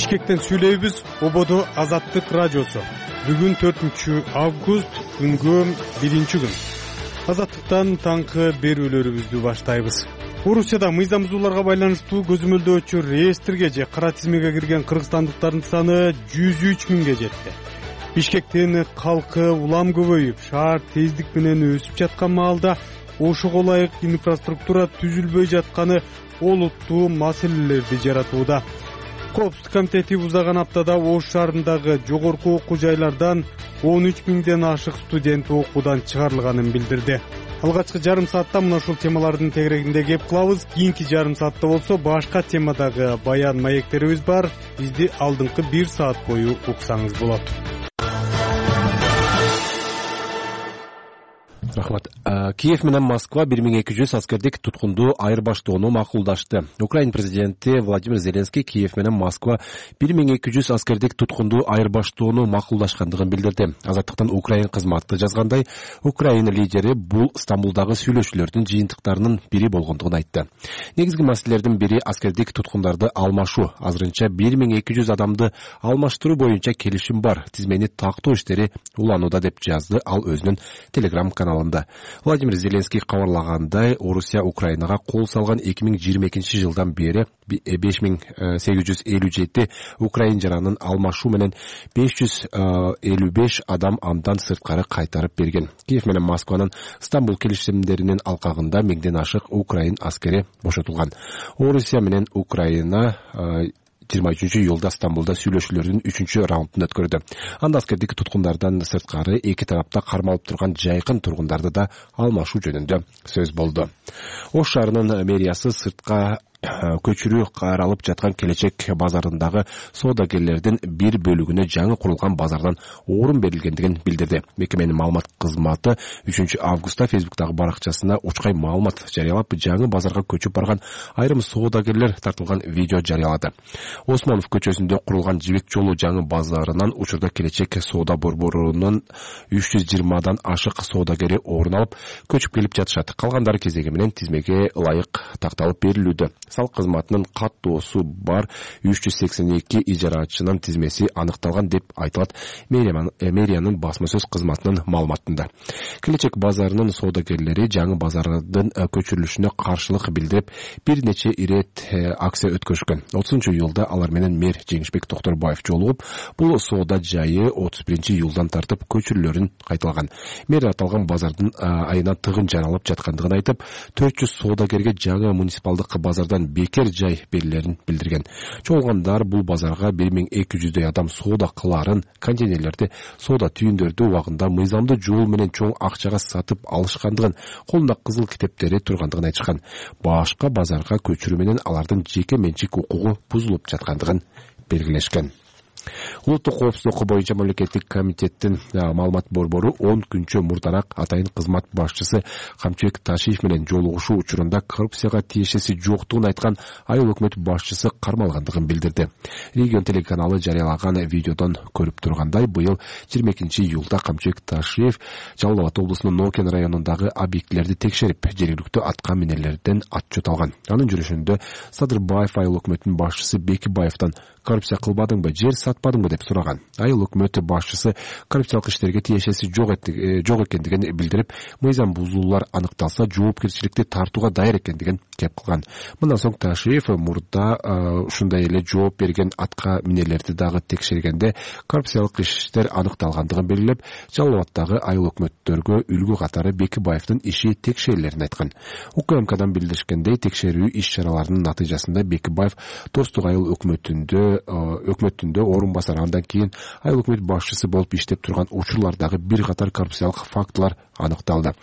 Бишкектен сүйлөйбүз. Ободо Азаттык радиосу. Бүгүн 4-август, күнгө 1-күн. Азаттыктан таңкы берүүлөрүбүздү баштайбыз. Орусияда мыйзамсыздууларга байланыштуу көзөмөлдөөчү реестрге же кара тизмеге кирген кыргызстандыктардын саны 103 миңге жетти. Бишкектин калкы улам көбөйүп, шаар тездик менен өсүп жаткан маалда ошого ылайык инфраструктура түзүлбөй жатканы олуттуу маселелерди жаратууда. Коопсуздук комитети узаган аптада Ош шаарындагы жогорку окуу жайлардан 13 миңден ашык студент окуудан чыгарылганын билдирди. Алгачкы жарым саатта мына ушул темалардын тегерегинде кеп кылабыз. Кийинки жарым саатта болсо башка темадагы баян маектерибиз бар. Бизди алдыңкы 1 саат бою уксаңыз болот. Рахмат. Киев менен Москва 1200 аскердик туткунду айырбаштоону макулдашты. Украина президенти Владимир Зеленский Киев менен Москва 1200 аскердик туткунду айырбаштоону макулдашкандыгын билдирди. Азаттыктан Украина кызматы жазгандай, Украина лидери бул Стамбулдагы сүйлөшүүлөрдүн жыйынтыктарынын бири болгондугун айтты. Негизги маселелердин бири аскердик туткундарды алмашуу. Азырынча 1200 адамды алмаштыруу боюнча келишим бар. Тизмени тактоо иштери уланууда деп жазды ал өзүнүн Telegram каналында. Владимир Зеленский кабарлагандай, Орусия Украинага кол салган 2022 жылдан бери 5857 украин жаранын алмашуу менен 555 адам андан сырткары кайтарып берген. Киев менен Москванын Стамбул келишимдеринин алкагында 1000ден ашык украин аскери бошотулган. Орусия менен Украина 23-июлда Стамбулда сүйлөшүүлөрдүн 3-раундун өткөрдү. Анда аскердик туткундардан сырткары эки тарапта кармалып турган жайкын тургундарды да алмашуу жөнүндө сөз болду. Ош шаарынын мэриясы сыртка көчүрүү каралып жаткан Келечек базарындагы соодагерлердин бир бөлүгүнө жаңы курулган базардан орун берилгендигин билдирди. Мекеменин маалымат кызматы 3-августта Facebook'тагы баракчасына учкай маалымат жарыялап, жаңы базарга көчүп барган айрым соодагерлер тартылган видео жарыялады. Осмонов көчөсүндө курулган Жибек жолу жаңы базарынан учурда Келечек соода борборунун 320дан ашык соодагери орун алып, көчүп келип жатышат. Калгандары кезеги менен тизмеге ылайык такталып берилүүдө. Салык кызматынын каттоосу бар 382 ижарачынын тизмеси аныкталган деп айтылат мэриянын басма сөз кызматынын маалыматында. Келечек базарынын соодагерлери жаңы базардын көчүрүлүшүнө каршылык билдирип, бир нече ирет акция өткөрүшкөн. 30-июлда алар менен мэр Жеңишбек Токторбаев жолугуп, бул соода жайы 31-июлдан тартып көчүрүүлөрүн кайталаган. Мэр аталган базардын айына тыгын жаралып жаткандыгын айтып, 400 соодагерге жаңы муниципалдык базардан бекер жай берилерин билдирген. Чогулгандар бул базарга 1200 адам соода кыларын, контейнерлерди, соода түйүндөрдү убагында мыйзамдуу жол менен чоң акчага сатып алышкандыгын, колунда кызыл китептери тургандыгын айтышкан. Башка базарга көчүрүү менен алардын жеке менчик укугу бузулуп жаткандыгын белгилешкен. Улуттук коопсуздук боюнча мамлекеттик комитеттин маалымат борбору 10 күнчө мурдараак атайын кызмат башчысы Камчыбек Ташиев менен жолугушуу учурунда коррупцияга тиешеси жоктугун айткан айыл өкмөт башчысы кармалгандыгын билдирди. Регион телеканалы жарыялаган видеодон көрүп тургандай, быйыл 22-июлда Камчыбек Ташиев Жалал Абад облусунун Нокен районундагы объектилерди текшерип, жергиликтүү атка минерлерден отчет алган. Анын жүрүшүндө Садырбаев айыл өкмөтүнүн башчысы Бекибаевден коррупция кылбадыңбы, жер сатпадыңбы деп сураган. Айыл өкмөтү башчысы коррупциялык иштерге тиешеси жок экендигин билдирип, мыйзам бузуулар аныкталса жоопкерчиликти тартууга даяр экендигин кеп кылган. Мындан соң Ташиев мурда ушундай эле жооп берген атка минерлерди дагы текшергенде коррупциялык иштер аныкталгандыгын белгилеп, Жалал Абаддагы айыл өкмөттөргө үлгү катары Бекибаевдин иши текшерилерин айткан. УКМКдан билдиришкендей, текшерүү иш-чараларынын натыйжасында Бекибаев Достук айыл өкмөтүндө орун басар, андан кийин айыл өкмөт башчысы болуп иштеп турган учурлардагы бир катар коррупциялык фактылар аныкталды.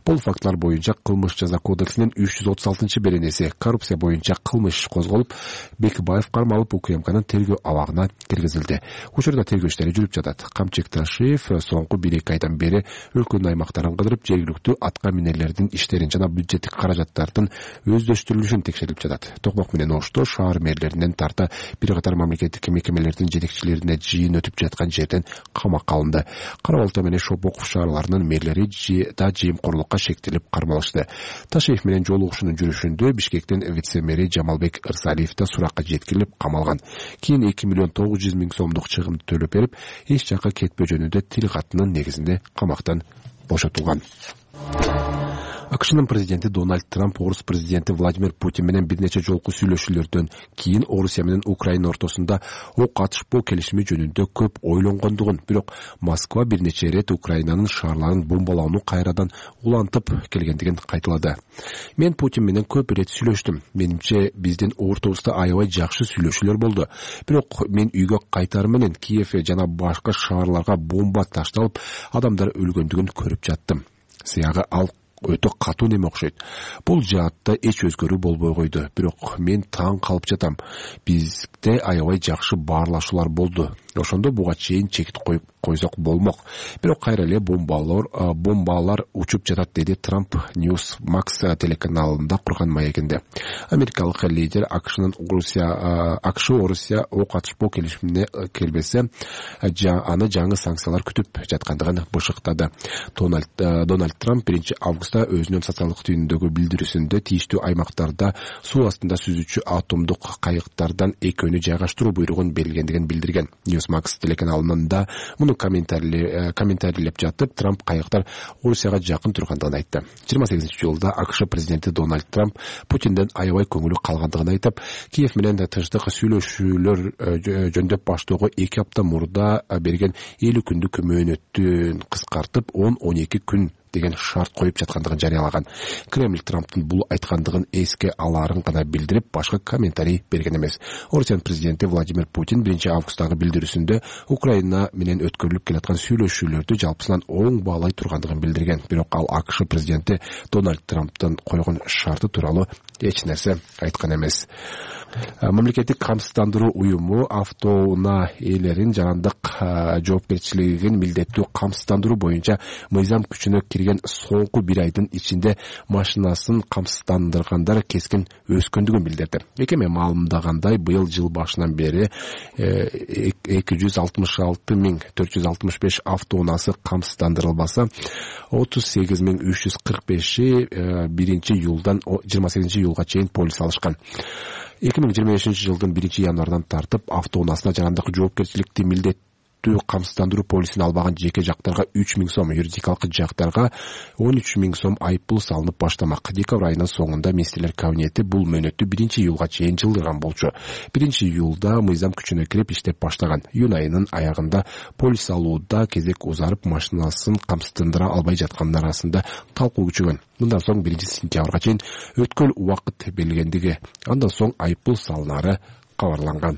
Бул фактылар боюнча Кылмыш жаза кодексинин 336-беренеси коррупция боюнча кылмыш козголуп, Бекибаев кармалып УКМКнын тергөө абагына киргизилди. Учурда тергөө иштери жүрүп жатат. Камчыбек Ташиев соңку 1-2 айдан бери өлкөнүн аймактарын кыдырып, жергиликтүү атка минерлердин иштерин жана бюджеттик каражаттардын өздөштүрүлүшүн текшерип жатат. Токмок менен Ошто шаар мэрлеринен тарта бир катар мамлекеттик мекемелердин жетекчилери жетекчилерине жыйын өтүп жаткан жерден камакка алынды. Кара Балта менен Шопоков шаарларынын мэрлери да жыйымкорлукка шектелип кармалышты. Ташиев менен жолугушуунун жүрүшүндө Бишкектин вице-мэри Жамалбек Ырсалиев да суракка жеткирилип камалган. Кийин 2,900,000 сомдук чыгым төлөп берип, эч жакка кетпөө жөнүндө тил катынын негизинде камактан бошотулган. АКШнын президенти Дональд Трамп орус президенти Владимир Путин менен бир нече жолку сүйлөшүүлөрдөн кийин Орусия менен Украина ортосунда ок атышпоо келишими жөнүндө көп ойлонгондугун, бирок Москва бир нече ирет Украинанын шаарларын бомбалоону кайрадан улантып келгендигин кайталады. Мен Путин менен көп ирет сүйлөштүм. Менимче биздин ортобузда аябай жакшы сүйлөшүүлөр болду. Бирок мен үйгө кайтар менен Киев жана башка шаарларга бомба ташталып, адамдар өлгөндүгүн көрүп жаттым. Сыягы ал өтө катуу неме окшойт. Бул жаатта эч өзгөрүү болбой койду. Бирок мен таң калып жатам. Бизде аябай жакшы баарлашуулар болду. Ошондо буга чейин чекит коюп койсок болмок. Бирок кайра эле бомбалар учуп жатат, деди Трамп Newsmax телеканалында курган маегинде. Америкалык лидер АКШнын Орусия ок атышпоо келишимине келбесе, аны жаңы санкциялар күтүп жаткандыгын бышыктады. Дональд Трамп 1 августта өзүнүн социалдык түйүндөгү билдирүүсүндө тийиштүү аймактарда суу астында сүзүүчү атомдук кайыктардан экөөнү жайгаштыруу буйругун берилгендигин билдирген. Newsmax телеканалында муну комментарийлеп жатып, Трамп кайыктар Орусияга жакын тургандыгын айтты. 28-жылда АКШ президенти Дональд Трамп Путинден аябай көңүлү калгандыгын айтып, Киев менен тынчтык сүйлөшүүлөр жөндөп баштоого 2 апта мурда берген 50 күндүк мөөнөттүн кыскартып 10-12 күн деген шарт коюп жаткандыгын жарыялаган. Кремль Трамптын бул айткандыгын эске алаарын гана билдирип, башка комментарий берген эмес. Орусиянын президенти Владимир Путин 1 августтагы билдирүүсүндө Украина менен өткөрүлүп келаткан сүйлөшүүлөрдү жалпысынан оң баалай тургандыгын билдирген. Бирок ал АКШ президенти Дональд Трамптын койгон шарты тууралуу эч нерсе айткан эмес. Мамлекеттик камсыздандыруу уюму автоунаа ээлерин жарандык жоопкерчилигин милдеттүү камсыздандыруу боюнча мыйзам күчүнө кирген соңку 1 айдын ичинде машинасын камсыздандыргандар кескин өскөндүгүн билдирди. Экеме маалымдагандай, быйыл жыл башынан бери 266,465 автоунаасы камсыздандырылбаса, 38,345 1-июлдан 28-июлга чейин полис алышкан. 2025-жылдын 1-январдан тартып автоунаасына жарандык жоопкерчиликти милдеттүү камсыздандыруу полисин албаган жеке жактарга 3,000 сом, юридикалык жактарга 13,000 сом айыппул салынып баштамак. Декабрь айынын соңунда министрлер кабинети бул мөөнөттү 1-июлга чейин жылдырган болчу. 1-июлда мыйзам күчүнө кирип иштеп баштаган. Июнь айынын аягында полис алууда кезек узарып, машинасын камсыздандыра албай жаткандар арасында талкуу күчөгөн. Мындан соң 1-сентябрга чейин өткөл убакыт белгилендиги, андан соң айыппул салынары кабарланган.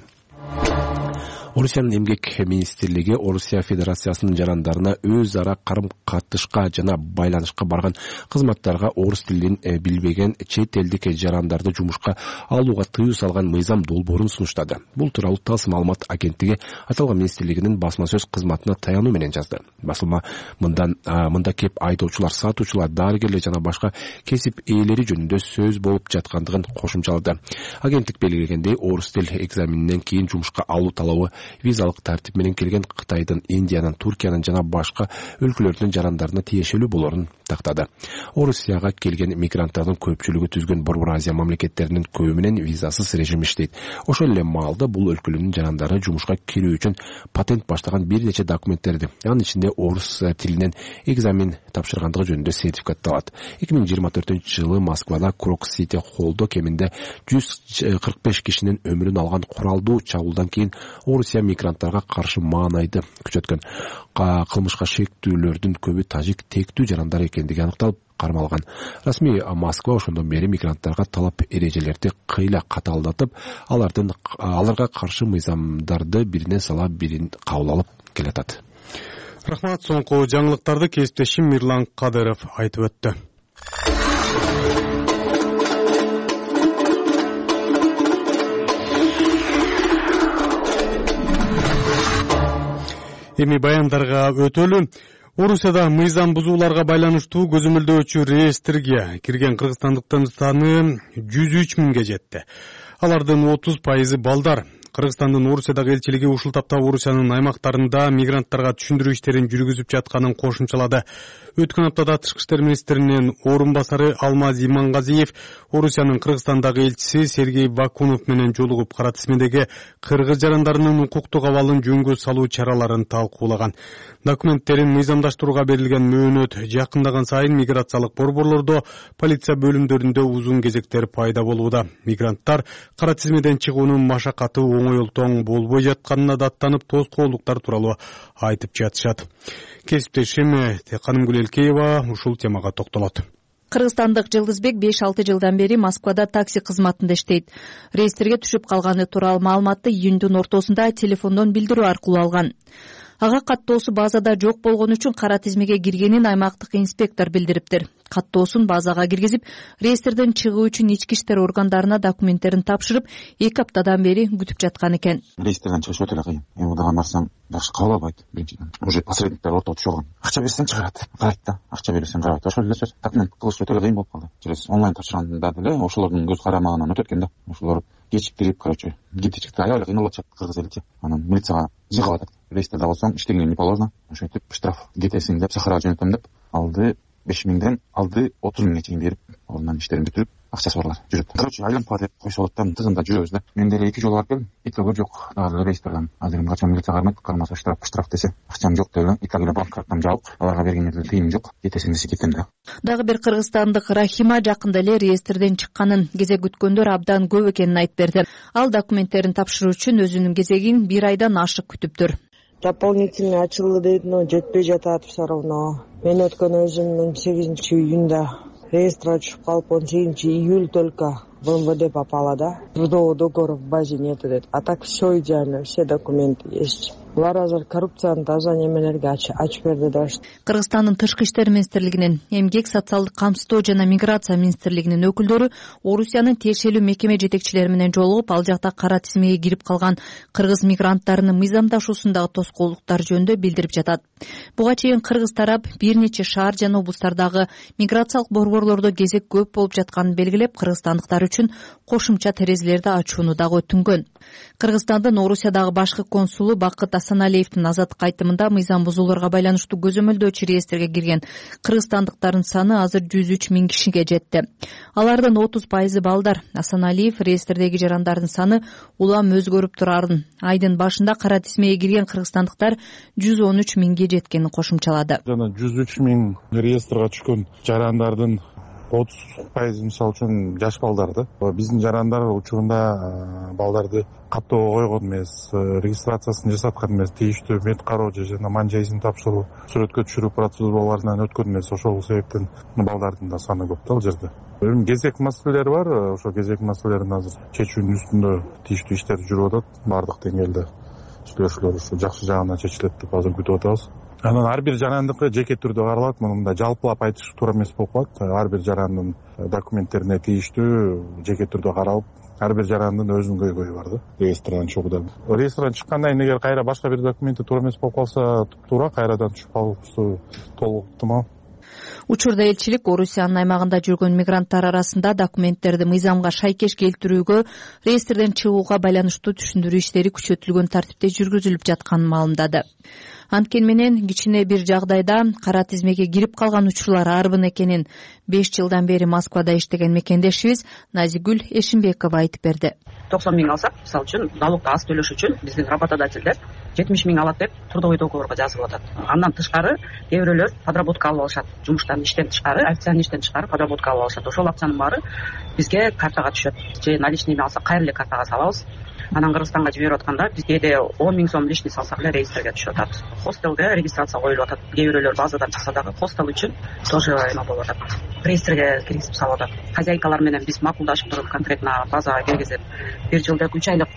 Орусиянын эмгек министрлиги Орусия Федерациясынын жарандарына өз ара карым-катышка жана байланышка барган кызматтарга орус тилин билбеген чет элдик жарандарды жумушка алууга тыюу салган мыйзам долбоорун сунуштады. Бул тууралуу ТАСС маалымат агенттиги аталган министрлигинин басма сөз кызматына таянуу менен жазды. Басылма мында кеп айдоочулар, сатуучулар, дарыгерлер жана башка кесип ээлери жөнүндө сөз болуп жаткандыгын кошумчалады. Агенттик белгилегендей, орус тил экзаменинен кийин жумушка алуу талабы визалык тартип менен келген Кытайдын, Индиянын, Туркиянын жана башка өлкөлөрдүн жарандарына тиешелүү болорун тактады. Орусияга келген мигранттардын көпчүлүгү түзгөн Борбор Азия мамлекеттеринин көбү менен визасыз режим иштейт. Ошол эле маалда бул өлкөлөрдүн жарандары жумушка кирүү үчүн патент баштаган бир нече документтерди, анын ичинде орус тилинен экзамен тапшыргандыгы жөнүндө сертификатты алат. 2024-жылы Москвада Крок-Сити холлдо кеминде 145 кишинин өмүрүн алган куралдуу чабуулдан кийин Орусия мигранттарга каршы маанайды күчөткөн. Кылмышка шектүүлөрдүн көбү тажик тектүү жарандар экендиги аныкталып кармалган. Расмий Москва ошондон бери мигранттарга талап эрежелерди кыйла катаалдатып, аларга каршы мыйзамдарды биринен сала бирин кабыл алып келатат. Рахмат. Соңку жаңылыктарды кесиптешим Мирлан Кадыров айтып өттү. Эми баяндарга өтөлү. Орусияда мыйзам бузууларга байланыштуу көзөмөлдөөчү реестрге кирген кыргызстандыктардын саны 103 миңге жетти. Алардын 30% балдар. Кыргызстандын Орусиядагы элчилиги ушул тапта Орусиянын аймактарында мигранттарга түшүндүрүү иштерин жүргүзүп жатканын кошумчалады. Өткөн аптада Тышкы иштер министринин орун басары Алмаз Имангазиев Орусиянын Кыргызстандагы элчиси Сергей Вакунов менен жолугуп, кара тизмедеги кыргыз жарандарынын укуктук абалын жөнгө салуу чараларын талкуулаган. Документтерин мыйзамдаштырууга берилген мөөнөт жакындаган сайын миграциялык борборлордо, полиция бөлүмдөрүндө узун кезектер пайда болууда. Мигранттар кара тизмеден чыгуунун машакаты оңойлтоң болбой жатканына даттанып, тоскоолдуктар тууралуу айтып жатышат. Кесиптешим Канымгүл Элкеева ушул темага токтолот. Кыргызстандык Жылдызбек 5-6 жылдан бери Москвада такси кызматында иштейт. Рейстерге түшүп калганы тууралуу маалыматты июндун ортосунда телефондон билдирүү аркылуу алган. Ага каттоосу базада жок болгон үчүн кара тизмеге киргенин аймактык инспектор билдириптир. Каттоосун базага киргизип, рейстерден чыгуу үчүн ички иштер органдарына документтерин тапшырып, 2 аптадан бери күтүп жаткан экен. Рейстерден чыгыш өтө эле кыйын. Мурдаган барсам жакшы кабыл албайт. Биринчиден, уже посредниктер ортого түшүп алган. Акча берсең чыгарат, карайт да. Акча берсең карайт. Ошол эле сөз. Документ кылыш өтө эле кыйын болуп калды. Через онлайн тапшырганда деле ошолордун көз карамагынан өтөт экен да. Ошолор кечиктирип, короче, кетичикти аябай эле кыйналатышат кыргыз эличи. Анан милицияга жыгып атат. Рейстерде болсоң иштегениң не положено. Ошентип штраф кетесиң деп Сахарага жөнөтөм деп алды 5000ден алды 30.000 чейин берип, андан иштерин бүтүрүп, акчасы барлар жүрөт. Короче, айланып кала деп койсо болот да, тыгында жүрөбүз да. Мен деле 2 жолу барып келдим. Экөөгө жок. Дагы рейстерден азыр качан милиция кармайт, кармаса штраф десе, акчам жок деле. Италия банк карттам жабык. Аларга бергенде тыйым жок. Кетесиң десе кетем да. Дагы бир кыргызстандык Рахима жакында эле рейстерден чыкканын, кезек күткөндөр абдан көп экенин айтып берди. Ал документтерин тапшыруу үчүн өзүнүн кезегин 1 айдан ашык күтүптүр. Дополнительный ачылды дейт, но жетпей жатат все равно. Мен өткөн өзүмдүн 8-июнда реестрге түшүп калып, 18-июль только в МВД попала, да. Трудового договора в базе нету дейт. А так все идеально, все документы есть. Булар азыр коррупцияны таза немелерге ачып берди да. Кыргызстандын Тышкы иштер министрлигинин, Эмгек, социалдык камсыздоо жана миграция министрлигинин өкүлдөрү Орусиянын тиешелүү мекеме жетекчилери менен жолугуп, ал жакта кара тизмеге кирип калган кыргыз мигранттарынын мыйзамдашуусундагы тоскоолдуктар жөнүндө билдирип жатат. Буга чейин кыргыз тарап бир нече шаар жана облустардагы миграциялык борборлордо кезек көп болуп жатканын белгилеп, кыргызстандыктар үчүн кошумча терезелерди ачууну дагы өтүнгөн. Кыргызстандын Орусиядагы башкы консулу Бакыт Асаналиевдин азаттык айтымында мыйзам бузууларга байланыштуу көзөмөлдөөчү реестрге кирген кыргызстандыктардын саны азыр 103 000 кишиге жетти. Алардын 30% балдар. Асаналиев реестрдеги жарандардын саны улам өзгөрүп турарын, айдын башында кара тизмеге кирген кыргызстандыктар 113 000ге жеткенин кошумчалады. Жана 103 000 реестрге түшкөн жарандардын 30% мисалы үчүн жаш балдар да. Биздин жарандар учурунда балдарды каттоого койгон эмес, регистрациясын жасаткан эмес, тийиштүү мед кароо жана манжа изин тапшыруу, сүрөткө түшүрүү процедураларынан өткөн эмес. Ошол себептен балдардын да саны көп да ал жерде. Эми кезек маселелери бар. Ошо кезек маселелерин азыр чечүүнүн үстүндө тийиштүү иштер жүрүп атат. Бардык деңгээлде сүйлөшүүлөр ушу жакшы жагынан чечилет деп азыр күтүп атабыз. Анан ар бир жарандыкы жеке түрдө каралат. Мында жалпылап айтыш туура эмес болуп калат. Ар бир жарандын документтерине тийиштүү жеке түрдө каралып, ар бир жарандын өзүнүн көйгөйү бар да. Реестрден чыгууда. Реестрден чыккандан кийин эгер кайра башка бир документи туура эмес болуп калса, туура кайрадан түшүп калуусу толук ыктымал. Учурда элчилик Орусиянын аймагында жүргөн мигранттар арасында документтерди мыйзамга шайкеш келтирүүгө, реестрден чыгууга байланыштуу түшүндүрүү иштери күчөтүлгөн тартипте жүргүзүлүп жатканын маалымдады. Анткени менен кичине бир жагдайда кара тизмеге кирип калган учурлар арбын экенин 5 жылдан бери Москвада иштеген мекендешибиз Назигүл Эшимбекова айтып берди. 90 000 алсак, мисалы үчүн, налогду аз төлөш үчүн биздин работодательдер 70 000 алат деп трудовой договорго жазып атат. Андан тышкары кээ бирөөлөр подработка алып алышат. Жумуштан иштен тышкары, официальный иштен тышкары подработка алып алышат. Ошол акчанын баары бизге картага түшөт. Же наличныйми алсак, кайра эле картага салабыз. Анан Кыргызстанга жиберип атканда биз кээде 10 000 сом лишний салсак эле реестрге түшүп атат. Хостелге регистрация коюлуп атат. Кээ бирөөлөр базадан чыкса дагы хостел үчүн тоже эме болуп атат. Реестрге киргизип салып атат. Хозяйкалар менен биз макулдашып туруп конкретно базага киргизип 1 жылдык 3 айлык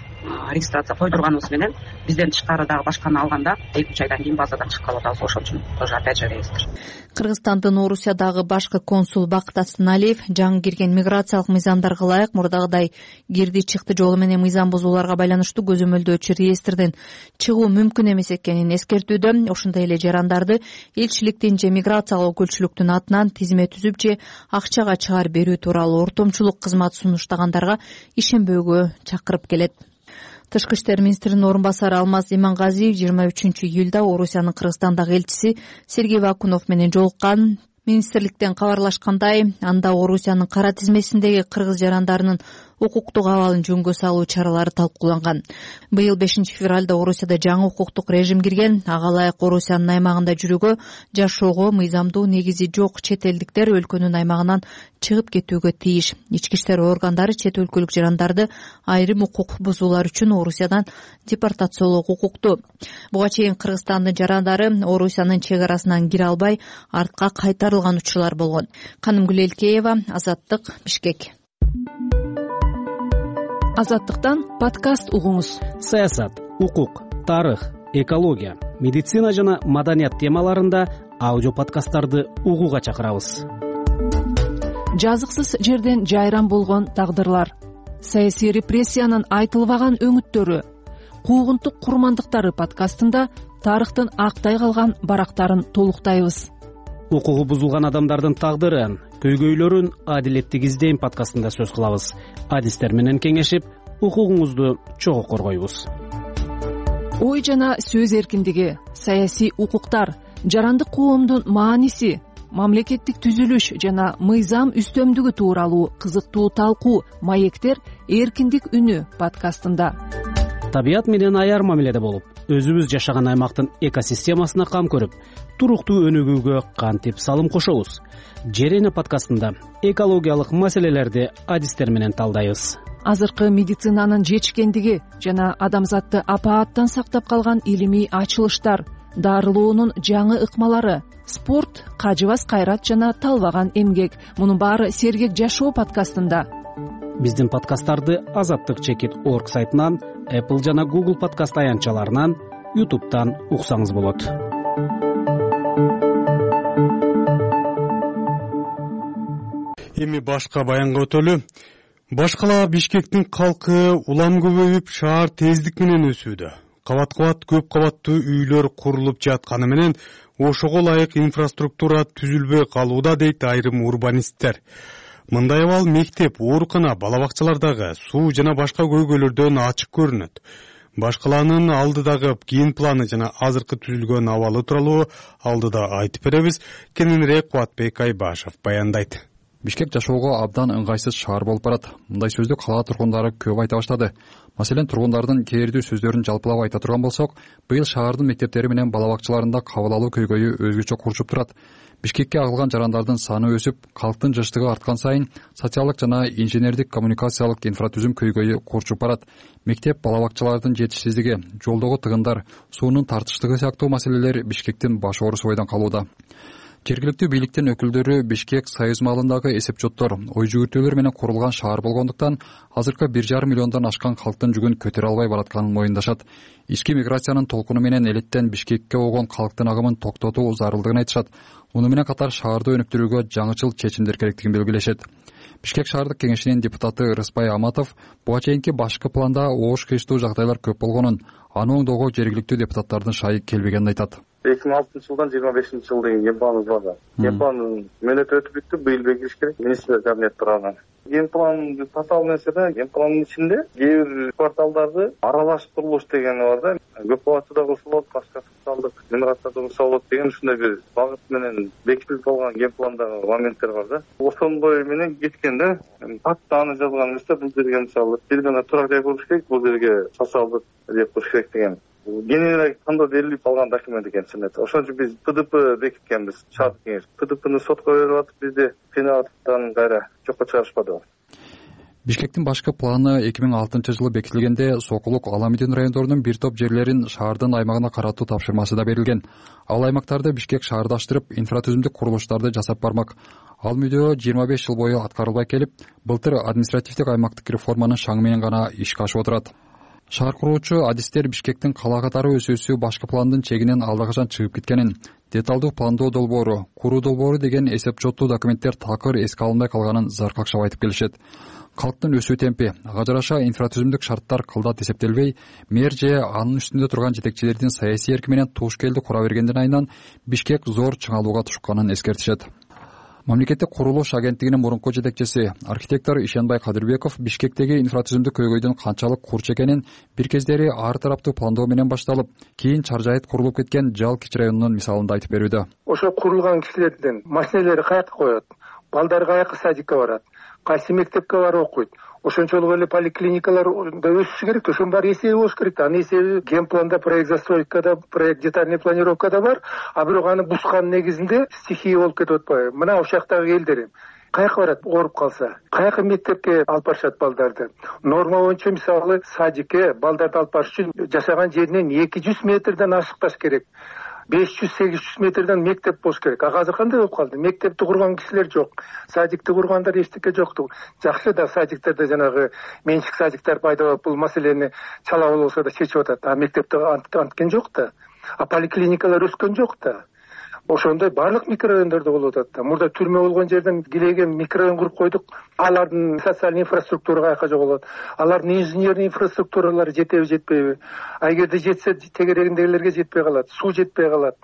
регистрация койдурганыбыз менен бизден тышкары дагы башканы алганда 2-3 айдан кийин базадан чыгып калып атабыз. Ошол үчүн тоже опять же реестр. Кыргызстандын Орусиядагы башкы консул Бакыт Асаналиев жаңы кирген миграциялык мыйзамдарга ылайык мурдагыдай кирди чыкты жолу менен мыйзам бузууларга байланыштуу көзөмөлдөөчү реестрден чыгуу мүмкүн эмес экенин эскертүүдө. Ошондой эле жарандарды элчиликтин же миграциялык өкүлчүлүктүн атынан тизме түзүп же акчага чыгарып берүү тууралуу ортомчулук кызмат сунуштагандарга ишенбөөгө чакырып келет. Тышкы иштер министринин орун басары Алмаз Имангазиев 23-июлда Орусиянын Кыргызстандагы элчиси Сергей Вакунов менен жолуккан. Министрликтен кабарлашкандай, анда Орусиянын кара тизмесиндеги кыргыз жарандарынын укуктук абалын жөнгө салуу чаралары талкууланган. Быйыл 5-февралда Орусияда жаңы укуктук режим кирген. Ага ылайык Орусиянын аймагында жүрүүгө, жашоого мыйзамдуу негизи жок чет элдиктер өлкөнүн аймагынан чыгып кетүүгө тийиш. Ички иштер органдары чет өлкөлүк жарандарды айрым укук бузуулар үчүн Орусиядан депортациялоого укуктуу. Буга чейин Кыргызстандын жарандары Орусиянын чек арасынан кире албай артка кайтарылган учурлар болгон. Канымгүл Элкеева, Азаттык, Бишкек. Азаттыктан подкаст угуңуз. Саясат, укук, тарых, экология, медицина жана маданият темаларында аудио подкасттарды угууга чакырабыз. Жазыксыз жерден жайран болгон тагдырлар, саясий репрессиянын айтылбаган өңүттөрү, куугунтук курмандыктары подкастында тарыхтын актай калган барактарын толуктайбыз. Укугу бузулган адамдардын тагдырын, көйгөйлөрүн адилеттик издейм подкастында сөз кылабыз. Адистер менен кеңешип, укугуңузду чогуу коргойбуз. Ой жана сөз эркиндиги, саясий укуктар, жарандык коомдун мааниси, мамлекеттик түзүлүш жана мыйзам үстөмдүгү тууралуу кызыктуу талкуу маектер эркиндик үнү подкастында. Табият менен аяр мамиледе болуп, өзүбүз жашаган аймактын экосистемасына кам көрүп, туруктуу өнүгүүгө кантип салым кошобуз? Жер эне подкастында экологиялык маселелерди адистер менен талдайбыз. Азыркы медицинанын жетишкендиги жана адамзатты апааттан сактап калган илимий ачылыштар, дарылоонун жаңы ыкмалары, спорт, кажыбас кайрат жана талбаган эмгек. Мунун баары сергек жашоо подкастында. Биздин подкасттарды azattik.org сайтынан, Apple жана Google подкаст аянтчаларынан, YouTube'тан уксаңыз болот. Эми башка баянга өтөлү. Башкала Бишкектин калкы улам көбөйүп, шаар тездик менен өсүүдө. Кабат-кабат көп кабаттуу үйлөр курулуп жатканы менен ошого ылайык инфраструктура түзүлбөй калууда, дейт айрым урбанисттер. Мындай абал мектеп, оорукана, бала бакчалардагы суу жана башка көйгөйлөрдөн ачык көрүнөт. Башкаланын алдыдагы кийин планы жана азыркы түзүлгөн абалы тууралуу алдыда айтып беребиз. Кененирээк Кубатбек Айбашев баяндайт. Бишкек жашоого абдан ыңгайсыз шаар болуп барат. Мындай сөздү кала тургундары көп айта баштады. Маселен, тургундардын кээрдүү сөздөрүн жалпылап айта турган болсок, быйыл шаардын мектептери менен бала бакчаларында кабыл алуу көйгөйү өзгөчө курчуп турат. Бишкекке агылган жарандардын саны өсүп, калктын жыштыгы арткан сайын социалдык жана инженердик коммуникациялык инфратүзүм көйгөйү курчуп барат. Мектеп, бала бакчалардын жетишсиздиги, жолдогу тыгындар, суунун тартыштыгы сыяктуу маселелер Бишкектин баш оорусу бойдон калууда. Жергиликтүү бийликтин өкүлдөрү Бишкек союз маалындагы эсепчоттор, ой жүгүртүүлөр менен курулган шаар болгондуктан азыркы 1,5 миллиондон ашкан калктын жүгүн көтөрө албай баратканын моюндашат. Ички миграциянын толкуну менен элеттен Бишкекке болгон калктын агымын токтотуу зарылдыгын айтышат. Муну менен катар шаарды өнүктүрүүгө жаңычыл чечимдер керектигин белгилешет. Бишкек шаардык кеңешинин депутаты Рыспай Аматов буга чейинки башкы планда оош кыйыштуу жагдайлар көп болгонун, аны оңдоого жергиликтүү депутаттардын шайы келбегенин айтат. 2006 жылдан 25 жыл деген генпланыбыз бар. Генпландын мөөнөтү өтүп бүттү, быйыл бекитиш керек. Министрлер кабинети тарабынан. Генплан татаал нерсе да, генпландын ичинде кээ бир кварталдарды аралаш курулуш деген бар да. Көп кабатты да курса болот, башка социалдык миграцияда курса болот деген ушундай бир багыт менен бекитилип калган генпландагы моменттер бар да. Ошондой менен кеткен да. Патта аны жазган эмес да, бул жерге мисалы бир гана турак жай куруш керек, бул жерге социалдык жер куруш керек деген. Кеңири кандоо берилип калган документ экен сенет. Ошон үчүн биз ПДП бекиткенбиз, шаардык кеңеш. ПДПны сотко берип атып, бизди кыйнап кайра жокко чыгарышпады. Бишкектин башкы планы 2006 жылы бекитилгенде Сокулук, Аламидин райондорунун бир топ жерлерин шаардын аймагына каратуу тапшырмасы да берилген. Ал аймактарды Бишкек шаардаштырып, инфратүзүмдүк курулуштарды жасап бармак. Ал мүдөө 25 жыл бою аткарылбай келип, былтыр административдик аймактык реформанын шаңы менен гана ишке ашып отурат. Шаар куруучу адистер Бишкектин кала катары өсүүсү башкы пландын чегинен алдакачан чыгып кеткенин, деталдуу пландоо долбоору, куруу долбоору деген эсепчоттуу документтер такыр эске алынбай калганын заркакшап айтып келишет. Калктын өсүү темпи, ага жараша инфратүзүмдүк шарттар кылдат эсептелбей, мэр же анын үстүндө турган жетекчилердин саясий эрки менен туш келди кура бергенден айынан Бишкек зор чыңалууга тушканын эскертишет. мамлекеттик курулуш агенттигинин мурунку жетекчиси архитектор Ишенбай Кадырбеков Бишкектеги инфратүзүмдүк көйгөйдүн канчалык курч экенин бир кездери ар тараптуу пландоо менен башталып, кийин чаржайыт курулуп кеткен Жал Кичи районунун мисалында айтып берүүдө. Ошо курулган кишилердин машиналери каяка коет, балдар каяка садикке барат, кайсы мектепке барып окуйт, ошончолук эле поликлиникалар да өсүшү керек. Ошонун баары эсеби болуш керек. Анын эсеби генпланда, проект застройкада, проект детальный планировкада бар, а бирок аны бузган негизинде стихия болуп кетип атпайбы? Мына ошол жактагы элдер каяка барат, ооруп калса, каяка мектепке алып барышат балдарды? Норма боюнча мисалы садикке балдарды алып барыш үчүн жашаган жеринен 200 метрден ашыкпаш керек. 500-800 метрден мектеп болуш керек. А азыр кандай болуп калды? Мектепти курган кишилер жок, садикти кургандар эчтеке жокту. Жакшы да садиктерде жанагы менчик садиктер пайда болуп, бул маселени чала болсо да чечип атат. А мектепте анткен жок да. А поликлиникалар өскөн жок да. Ошондой барлык микрорайондордо болуп атат да. Мурда түрмө болгон жерден килеген микрорайон куруп койдук. Алардын социалдык инфраструктура каяка жоголот? Алардын инженерный инфраструктуралары жетеби, жетпейби? А эгерде жетсе, тегерегиндегилерге жетпей калат, суу жетпей калат,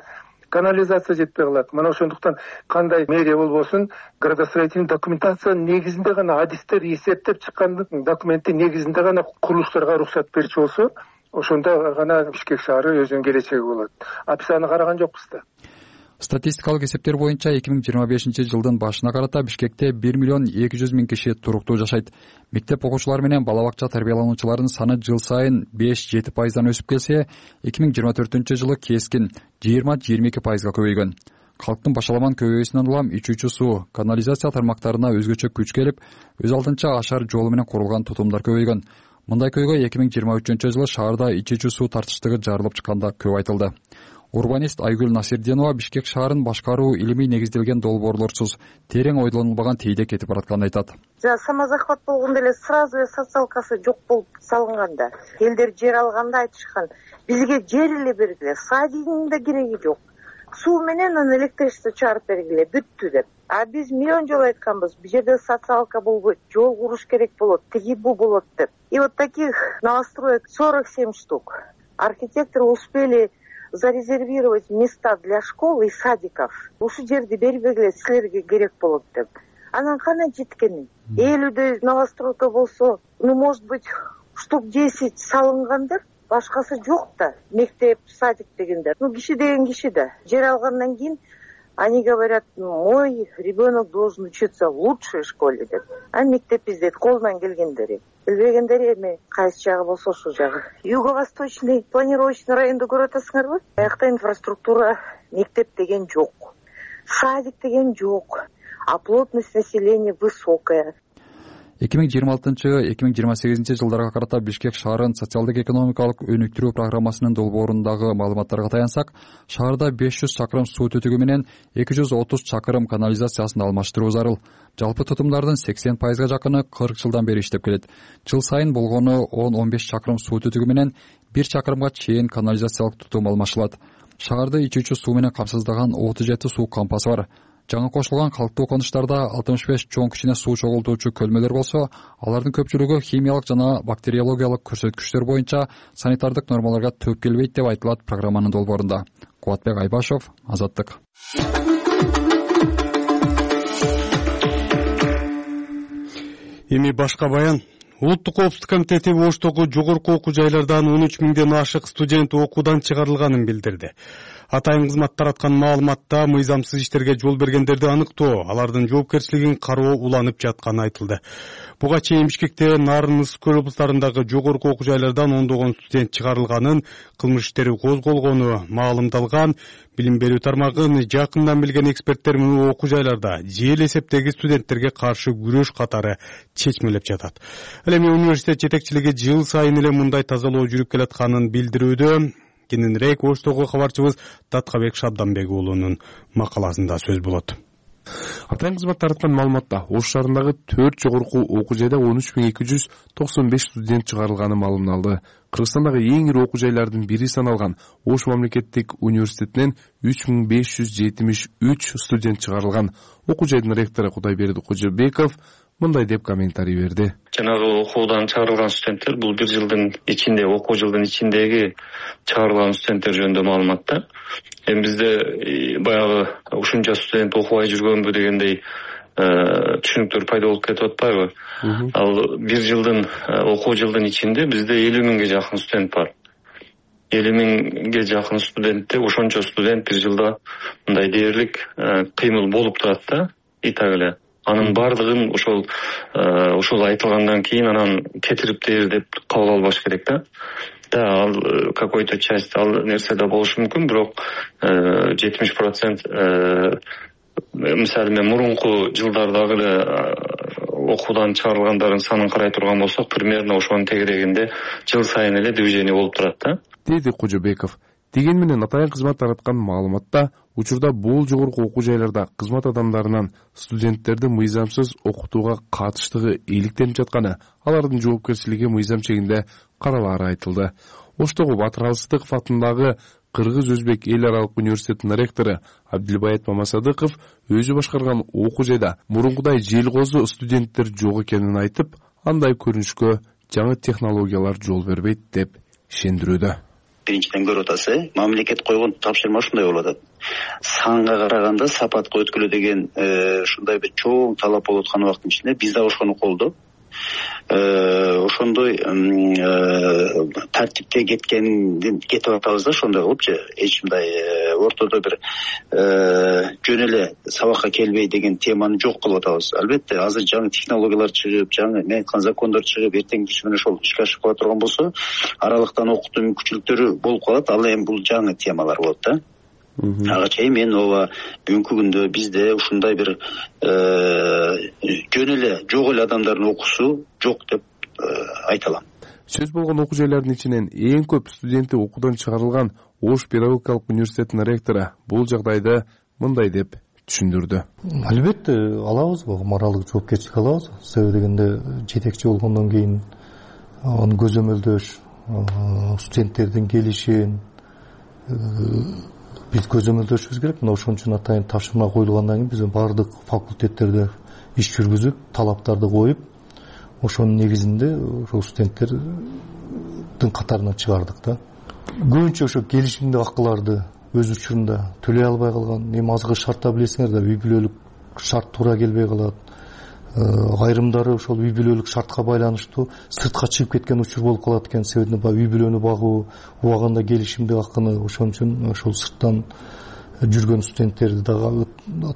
канализация жетпей калат. Мына ошондуктан кандай мэрия болбосун, градостроительный документациянын негизинде гана адистер эсептеп чыккан документтин негизинде гана курулуштарга уруксат берчү болсо, ошондо гана Бишкек шаары өзүнүн келечеги болот. А биз аны караган жокпуз да. Статистикалык эсептер боюнча 2025 жылдын башына карата Бишкекте 1,2 миллион киши туруктуу жашайт. Мектеп окуучулары менен бала бакча тарбиялануучулардын саны жыл сайын 5-7% өсүп келсе, 2024 жылы кескин 20-22% көбөйгөн. Калктын башаламан көбөйүүсүнөн улам ичүүчү суу, канализация тармактарына өзгөчө күч келип, өз алдынча ашар жолу менен курулган тутумдар көбөйгөн. Мындай көйгөй 2023 жылы шаарда ичүүчү суу тартыштыгы жарылып чыкканда көп айтылды. Урбанист Айгүл Насирденова Бишкек шаарын башкаруу илимий негизделген долбоорлорсуз, терең ойлонулбаган тийде кетип баратканын айтат. Самозахват болгондо эле сразу социалкасы жок болуп салынганда, элдер жер алганда айтышкан, бизге жер эле бергиле, садигиңин да кереги жок. Суу менен электричество чыгарып бергиле, бүттү деп. А биз миллион жолу айтканбыз, бул жерде социалка болбойт, жол куруш керек болот, тиги бу болот деп. И вот таких новостроек 47 штук. Архитекторы успели зарезервировать места для школ и садиков. Ушу жерди бербегиле, силерге керек болот деп. Анан кандай жеткени? 50 новостройка болсо, может быть, штук 10 салынгандыр, башкасы жок да. Мектеп, садик дегендер. Киши деген киши да. Жер алгандан кийин они говорят, мой ребенок должен учиться в лучшей школе деп. А мектеп издейт колунан келгендери. Билбегендери эми кайсы жагы болсо ошол жагы. Юго-восточный планировочный районду көрүп атасыңарбы? Аякта инфраструктура, мектеп деген жок. Садик деген жок. А плотность населения высокая. 2026-2028 жылдарга карата Бишкек шаарын социалдык экономикалык өнүктүрүү программасынын долбоорундагы маалыматтарга таянсак, шаарда 500 чакырым суу түтүгү менен 230 чакырым канализациясын алмаштыруу зарыл. Жалпы тутумдардын 80%га жакыны 40 жылдан бери иштеп келет. Жыл сайын болгону 10-15 чакырым суу түтүгү менен 1 чакырымга чейин канализациялык тутум алмашылат. Шаарды ичүүчү суу менен камсыздаган 37 суу кампасы бар. Жаңы кошулган калктуу конуштарда 65 чоң кичине суу чогултуучу көлмөлөр болсо, алардын көпчүлүгү химиялык жана бактериологиялык көрсөткүчтөр боюнча санитардык нормаларга төп келбейт деп айтылат программанын долбоорунда. Кубатбек Айбашов, Азаттык. Эми башка баян. Улуттук коопсуздук комитети Оштогу жогорку окуу жайлардан 13 миңден ашык студент окуудан чыгарылганын билдирди. Атайын кызмат тараткан маалыматта мыйзамсыз иштерге жол бергендерди аныктоо, алардын жоопкерчилигин кароо уланып жатканы айтылды. Буга чейин Бишкекте Нарын, Ысык Көл облустарындагы жогорку окуу жайлардан ондогон студент чыгарылганын, кылмыш иштери козголгону маалымдалган. Билим берүү тармагын жакындан билген эксперттер муну окуу жайларда жел эсептеги студенттерге каршы күрөш катары чечмелеп жатат. Ал эми университет жетекчилиги жыл сайын эле мындай тазалоо жүрүп келатканын билдирүүдө. Кененирээк Оштогу кабарчыбыз Таткабек Шабданбек уулунун макаласында сөз болот. Атайын кызмат тараткан маалыматта Ош шаарындагы 4 жогорку окуу жайда 13.295 студент чыгарылганы маалымдалды. Кыргызстандагы эң ири окуу жайлардын бири саналган Ош мамлекеттик университетинен 3573 студент чыгарылган. Окуу жайдын ректору Кудайберди Кожобеков мындай деп комментарий берди. Жанагы окуудан чыгарылган студенттер бул бир жылдын ичинде, окуу жылдын ичиндеги чыгарылган студенттер жөнүндө маалымат да. Эми бизде баягы ушунча студент окубай жүргөнбү дегендей түшүнүктөр пайда болуп кетип атпайбы? Ал бир жылдын окуу жылдын ичинде бизде 50 миңге жакын студент бар. 50 миңге жакын студентте ошончо студент бир жылда мындай дээрлик кыймыл болуп турат да, итак эле. Анын бардыгын ошол айтылгандан кийин анан кетирип дээр деп кабыл албаш керек да. Да, ал какой-то часть ал нерседе болушу мүмкүн, бирок 70% мисалы мен мурунку жылдардагы эле окуудан чыгарылгандардын санын карай турган болсок, примерно ошонун тегерегинде жыл сайын эле движение болуп турат да, деди Кожобеков. Деген менен атайын кызмат тараткан маалыматта учурда бул жогорку окуу жайларда кызмат адамдарынан студенттерди мыйзамсыз окутууга катыштыгы иликтенип жатканы, алардын жоопкерчилиги мыйзам чегинде каралаары айтылды. Оштогу Батыр Алыстыков атындагы Кыргыз-Өзбек эл аралык университетинин ректору Абдилбаят Мамасадыков өзү башкарган окуу жайда мурункудай желкозу студенттер жок экенин айтып, андай көрүнүшкө жаңы технологиялар жол бербейт деп ишендирүүдө. Биринчиден көрүп атасыз, мамлекет койгон тапшырма ушундай болуп атат. Санга караганда сапатка өткүлө деген ушундай бир чоң талап болуп аткан убакыттын ичинде биз да ошону колдоп, ошондой тартипте кетип атабыз да, ошондой кылыпчы. Эч мындай ортодо бир жөн эле сабакка келбей деген теманы жок кылып атабыз. Албетте азыр жаңы технологиялар чыгып, жаңы мен айткан закондор чыгып, эртең түшү менен ошол ишке ашып кала турган болсо, аралыктан окутуу мүмкүнчүлүктөрү болуп калат. Ал эми бул жаңы темалар болот да. Ага чейин мен ооба бүгүнкү күндө бизде ушундай бир жөн эле жок эле адамдардын окуусу жок деп айта алам. Сөз болгон окуу жайлардын ичинен эң көп студенти окуудан чыгарылган Ош педагогикалык университетинин ректору бул жагдайды мындай деп түшүндүрдү. Албетте алабыз, моралдык жоопкерчилик алабыз. Себеби дегенде жетекчи болгондон кийин аны көзөмөлдөш, студенттердин келишин биз көзөмөлдөшүбүз керек. Мына ошон үчүн атайын тапшырма коюлгандан кийин биз бардык факультеттерде иш жүргүзүп, талаптарды коюп, ошонун негизинде ошол студенттердин катарынан чыгардык да. Көбүнчө ошо келишимдик акыларды өз учурунда төлөй албай калган, эми азгы шартта билесиңер да, үй бүлөлүк шарт туура келбей калат. Айрымдары ошол үй бүлөлүк шартка байланыштуу сыртка чыгып кеткен учур болуп калат экен. Себеби үй бүлөнү багуу, убагында келишимдик акыны, ошон үчүн ошол сырттан жүргөн студенттерди дагы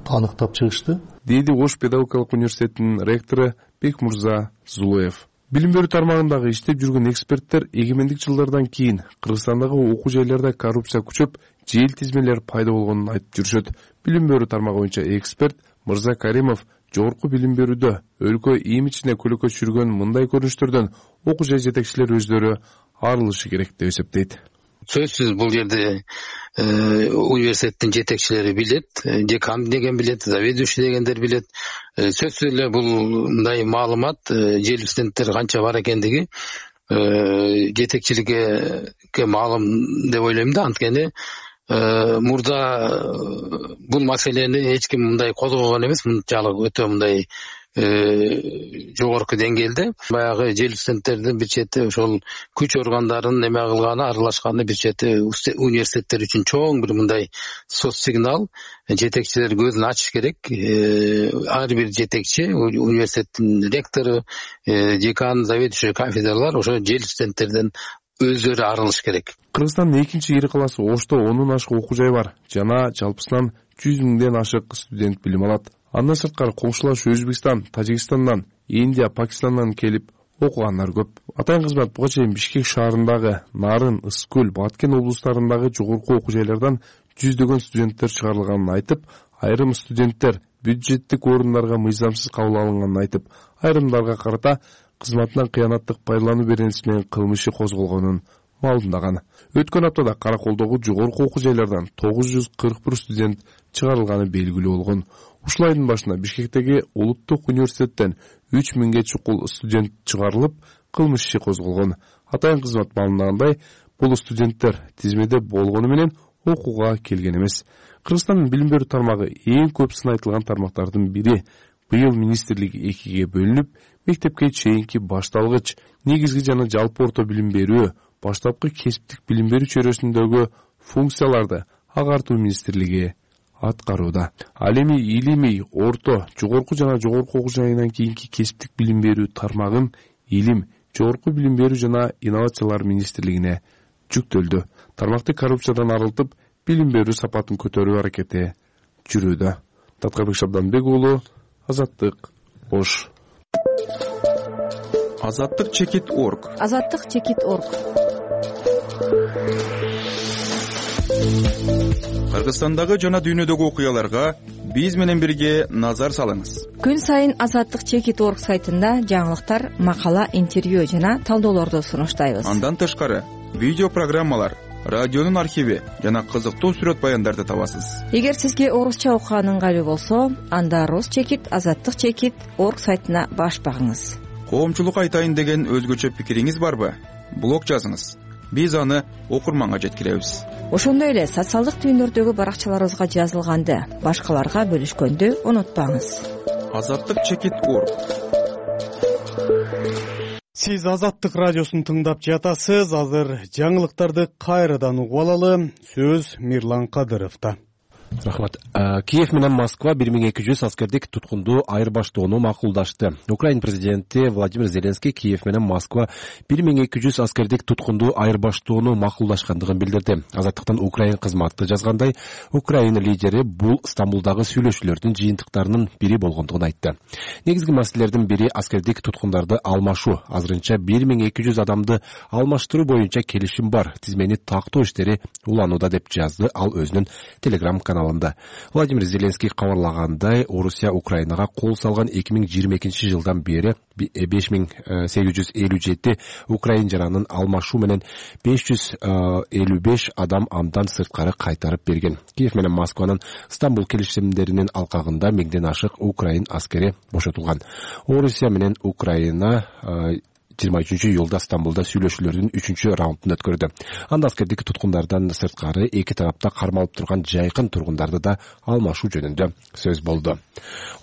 аныктап чыгышты, деди Ош педагогикалык университетинин ректору Бекмурза Зулуев. Билим берүү тармагындагы иштеп жүргөн эксперттер эгемендик жылдардан кийин Кыргызстандагы окуу жайларда коррупция күчөп, жел тизмелер пайда болгонун айтып жүрүшөт. Билим берүү тармагы боюнча эксперт Мырза Каримов жогорку билим берүүдө өлкө имиджине көлөкө түшүргөн мындай көрүнүштөрдөн окуу жай жетекчилери өздөрү арылышы керек деп эсептейт. Сөзсүз бул жерде университеттин жетекчилери билет, декан деген билет, заведующий дегендер билет. Сөзсүз эле бул мындай маалымат жел студенттер канча бар экендиги жетекчиликке маалым деп ойлойм да. Анткени мурда бул маселени эч ким мындай козгогон эмес, мынчалык өтө мындай жогорку деңгээлде. Баягы жел студенттердин бир чети ошол күч органдарын эме кылганы, аралашканы бир чети университеттер үчүн чоң бир мындай соц сигнал. Жетекчилер көзүн ачыш керек. Ар бир жетекчи, университеттин ректору, декан, заведующий кафедралар ошо жел студенттерден өздөрү арылыш керек. Кыргызстандын экинчи ири калаасы Ошто 10 ашык окуу жай бар. Жана жалпысынан 100 миңден ашык студент билим алат. Андан сырткары коңшулаш Өзбекстан, Тажикстандан, Индия, Пакистандан келип окугандар көп. Атайын кызмат буга чейин Бишкек шаарындагы, Нарын, Ысык-Көл, Баткен облустарындагы жогорку окуу жайлардан жүздөгөн студенттер чыгарылганын айтып, айрым студенттер бюджеттик орундарга мыйзамсыз кабыл алынганын айтып, айрымдарга карата кызматынан кыянаттык пайдалануу беренеси менен кылмышы козголгонун маалымдаган. Өткөн аптада Караколдогу жогорку окуу жайлардан 941 студент чыгарылганы белгилүү болгон. Ушул айдын башында Бишкектеги улуттук университеттен 3000ге чукул студент чыгарылып, кылмыш иши козголгон. Атайын кызмат маалымдагандай, бул студенттер тизмеде болгону менен окууга келген эмес. Кыргызстандын билим берүү тармагы эң көп сынайтылган тармактардын бири. Быйыл министрлик 2-ге бөлүнүп, мектепке чейинки башталгыч, негизги жана жалпы орто билим берүү, баштапкы кесиптик билим берүү чөйрөсүндөгү функцияларды агартуу министрлиги аткарууда. Ал эми илимий, орто, жогорку жана жогорку окуу жайынан кийинки кесиптик билим берүү тармагын илим, жогорку билим берүү жана инновациялар министрлигине жүктөлдү. Тармакты коррупциядан арылтып, билим берүү сапатын көтөрүү аракети жүрүүдө. Таткарбек Шабданбек уулу, Азаттык, Ош. Азаттык чекит орг. Азаттык чекит орг. Кыргызстандагы жана дүйнөдөгү окуяларга биз менен бирге назар салыңыз. Күн сайын Азаттык чекит орг сайтында жаңылыктар, макала, интервью жана талдоолорду сунуштайбыз. Андан тышкары видео программалар, радионун архиви жана кызыктуу сүрөт баяндарды табасыз. Эгер сизге орусча окуган ыңгайлуу болсо, анда Рус чекит, Азаттык чекит орг сайтына баш багыңыз. Коомчулукка айтайын деген өзгөчө пикириңиз барбы? Блог жазыңыз. Биз аны окурманга жеткиребиз. Ошондой эле социалдык түйүндөрдөгү баракчаларыбызга жазылганды башкаларга бөлүшкөндү унутпаңыз. Азаттык чекит орг. Сиз Азаттык радиосун тыңдап жатасыз. Азыр жаңылыктарды кайрадан угуп алалы. Сөз Мирлан Кадыровдо. Рахмат. Киев менен Москва 1200 аскердик туткунду айырбаштоону макулдашты. Украин президенти Владимир Зеленский Киев менен Москва 1200 аскердик туткунду айырбаштоону макулдашкандыгын билдирди. Азаттыктан Украин кызматы жазгандай, Украина лидери бул Стамбулдагы сүйлөшүүлөрдүн жыйынтыктарынын бири болгондугун айтты. Негизги маселелердин бири аскердик туткундарды алмашуу. Азырынча 1200 адамды алмаштыруу боюнча келишим бар. Тизмени тактоо иштери уланууда деп жазды ал өзүнүн Telegram каналында. Владимир Зеленский кабарлагандай, Орусия Украинага кол салган 2022 жылдан бери 5857 украин жаранын алмашуу менен 555 адам андан сырткары кайтарып берген. Киев менен Москванын Стамбул келишимдеринин алкагында 1000ден ашык украин аскери бошотулган. Орусия менен Украина 23-июлда Стамбулда сүйлөшүүлөрдүн 3-раундун өткөрдү. Анда аскердик туткундардан сырткары эки тарапта кармалып турган жайкын тургундарды да алмашуу жөнүндө сөз болду.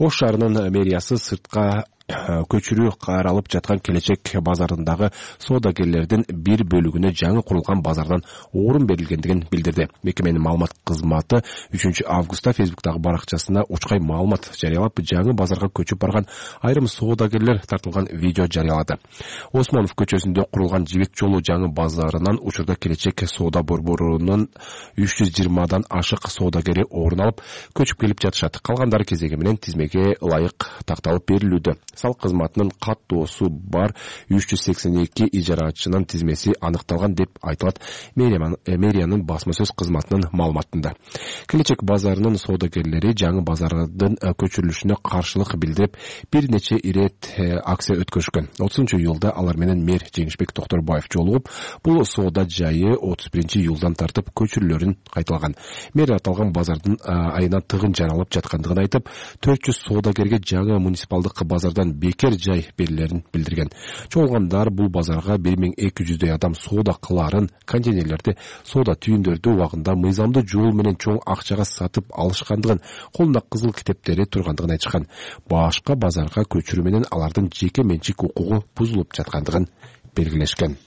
Ош шаарынын мэриясы сыртка көчүрүү каралып жаткан келечек базарындагы соодагерлердин бир бөлүгүнө жаңы курулган базардан орун берилгендигин билдирди. Мекеменин маалымат кызматы 3 августта Facebook'тагы баракчасына учкай маалымат жарыялап, жаңы базарга көчүп барган айрым соодагерлер тартылган видео жарыялады. Осмонов көчөсүндө курулган Жибек жолу жаңы базарынан учурда келечек соода борборунун 320дан ашык соодагери орун алып, көчүп келип жатышат. Калгандары кезеги менен тизмеге ылайык такталып берилүүдө. Салык кызматынын каттоосу бар 382 ижарачынын тизмеси аныкталган деп айтылат мэриянын басма сөз кызматынын маалыматында. Келечек базарынын соодагерлери жаңы базардын көчүрүлүшүнө каршылык билдирип, бир нече ирет акция өткөрүшкөн. 30-июлда алар менен мэр Жеңишбек Токторбаев жолугуп, бул соода жайы 31-июлдан тартып көчүрүүлөрүн кайталаган. Мэр аталган базардын айына тыгын жаралып жаткандыгын айтып, 400 соодагерге жаңы муниципалдык базардан бекер жай берилерин билдирген. Чогулгандар бул базарга 1200 адам соода кыларын, контейнерлерди, соода түйүндөрдү убагында мыйзамдуу жол менен чоң акчага сатып алышкандыгын, колунда кызыл китептери тургандыгын айтышкан. Башка базарга көчүрүү менен алардын жеке менчик укугу бузулуп жаткандыгын белгилешкен.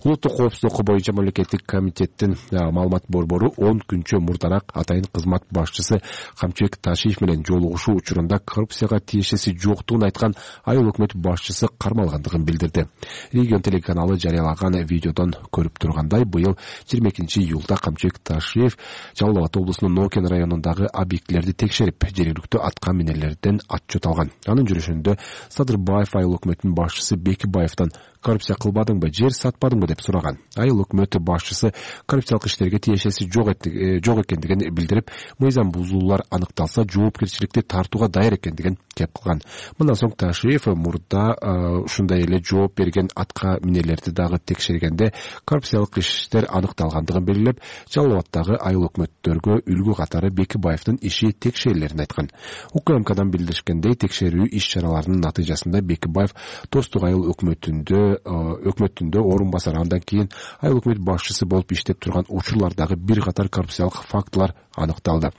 Улуттук коопсуздук боюнча мамлекеттик комитеттин маалымат борбору 10 күнчө мурдараак атайын кызмат башчысы Камчыбек Ташиев менен жолугушуу учурунда коррупцияга тиешеси жоктугун айткан айыл өкмөт башчысы кармалгандыгын билдирди. Регион телеканалы жарыялаган видеодон көрүп тургандай, быйыл 22-июлда Камчыбек Ташиев Жалал Абад облусунун Нокен районундагы объектилерди текшерип, жергиликтүү атка минерлерден отчет алган. Анын жүрүшүндө Садырбаев айыл өкмөтүнүн башчысы Бекибаевден коррупция кылбадыңбы, жер жатпадыңбы деп сураган. Айыл өкмөт башчысы коррупциялык иштерге тиешеси жок экендигин билдирип, мыйзам бузуулар аныкталса жоопкерчиликти тартууга даяр экендигин кеп кылган. Мындан соң Ташиев мурда ушундай эле жооп берген атка минелерди дагы текшергенде коррупциялык иштер аныкталгандыгын белгилеп, Жалал Абаддагы айыл өкмөттөргө үлгү катары Бекибаевдин иши текшерилерин айткан. УКМКдан билдиришкендей, текшерүү иш-чараларынын натыйжасында Бекибаев Достук айыл өкмөтүндө орун басар, андан кийин айыл өкмөт башчысы болуп иштеп турган учурлардагы бир катар коррупциялык фактылар аныкталды.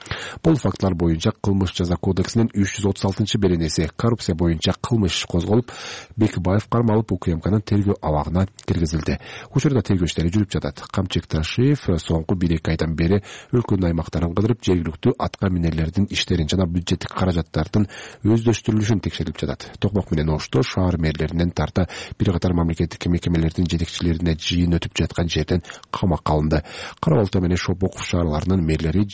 Бул фактылар боюнча Кылмыш жаза кодексинин 336-беренеси коррупция боюнча кылмыш козголуп, Бекибаев кармалып УКМКнын тергөө абагына киргизилди. Учурда тергөө иштери жүрүп жатат. Камчек Ташиев соңку 1-2 айдан бери өлкөнүн аймактарын кыдырып, жергиликтүү атка минелердин иштерин жана бюджеттик каражаттардын өздөштүрүлүшүн текшерип жатат. Токмок менен Ошто шаар мэрлеринен тарта бир катар мамлекеттик мекемелердин жетекчилерине жыйын өтүп жаткан жерден камакка алынды. Кара Балта менен Шопоков шаарларынын мэрлери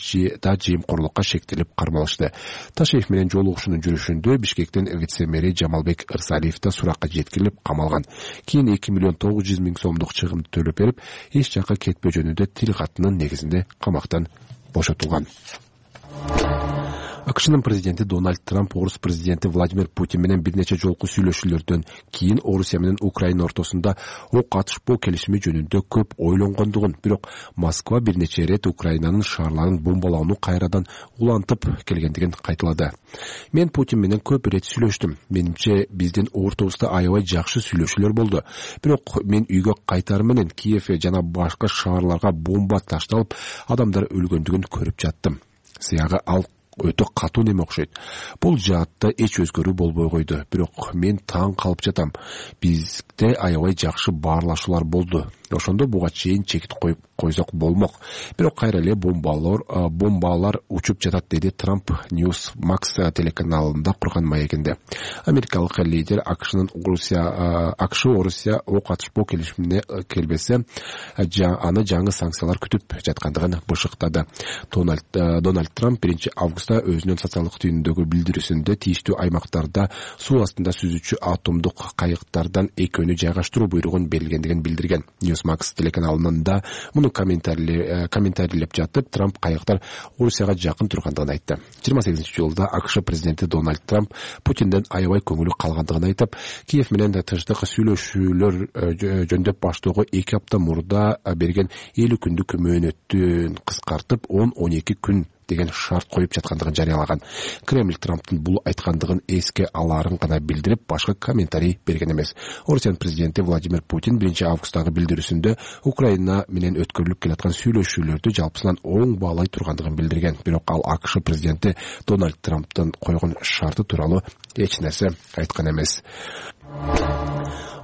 да жыйымкорлукка шектелип кармалышты. Ташиев менен жолугушуунун жүрүшүндө Бишкектин вице-мэри Жамалбек Ырсалиев да суракка жеткирилип камалган. Кийин 2,9 миллион сомдук чыгымды төлөп берип, эч жакка кетпөө жөнүндө тил катынын негизинде камактан бошотулган. АКШнын президенти Дональд Трамп орус президенти Владимир Путин менен бир нече жолку сүйлөшүүлөрдөн кийин Орусия менен Украина ортосунда ок атышпоо келишими жөнүндө көп ойлонгондугун, бирок Москва бир нече ирет Украинанын шаарларын бомбалоону кайрадан улантып келгендигин кайталады. Мен Путин менен көп ирет сүйлөштүм. Менимче биздин ортобузда аябай жакшы сүйлөшүүлөр болду. Бирок мен үйгө кайтар менен Киев жана башка шаарларга бомба ташталып, адамдар өлгөндүгүн көрүп жаттым. Сыягы ал өтө катуу неме окшойт. Бул жаатта эч өзгөрүү болбой койду. Бирок мен таң калып жатам. Бизде аябай жакшы баарлашуулар болду. Ошондо буга чейин чекит коюп койсок болмок. Бирок кайра эле бомбалар учуп жатат, деди Трамп Newsmax телеканалында курган маегинде. Америкалык лидер АКШнын Орусия ок атышпоо келишимине келбесе, аны жаңы санкциялар күтүп жаткандыгын бышыктады. Дональд Трамп 1-августта өзүнүн социалдык түйүнүндөгү билдирүүсүндө тийиштүү аймактарда суу астында сүзүүчү атомдук кайыктардан экөөнү жайгаштыруу буйругун берилгендигин билдирген. Newsmax телеканалында муну комментарийлеп жатып, Трамп кайыктар Орусияга жакын тургандыгын айтты. 28-жылда АКШ президенти Дональд Трамп Путинден аябай көңүлү калгандыгын айтып, Киев менен тыштык сүйлөшүүлөр жөндөп баштоого 2 апта мурда берген 50 күндүк мөөнөттүн кыскартып 10-12 күн деген шарт коюп жаткандыгын жарыялаган. Кремль Трамптын бул айткандыгын эске алаарын гана билдирип, башка комментарий берген эмес. Орусиянын президенти Владимир Путин 1-августтагы билдирүүсүндө Украина менен өткөрүлүп келаткан сүйлөшүүлөрдү жалпысынан оң баалай тургандыгын билдирген. Бирок ал АКШ президенти Дональд Трамптын койгон шарты тууралуу эч нерсе айткан эмес.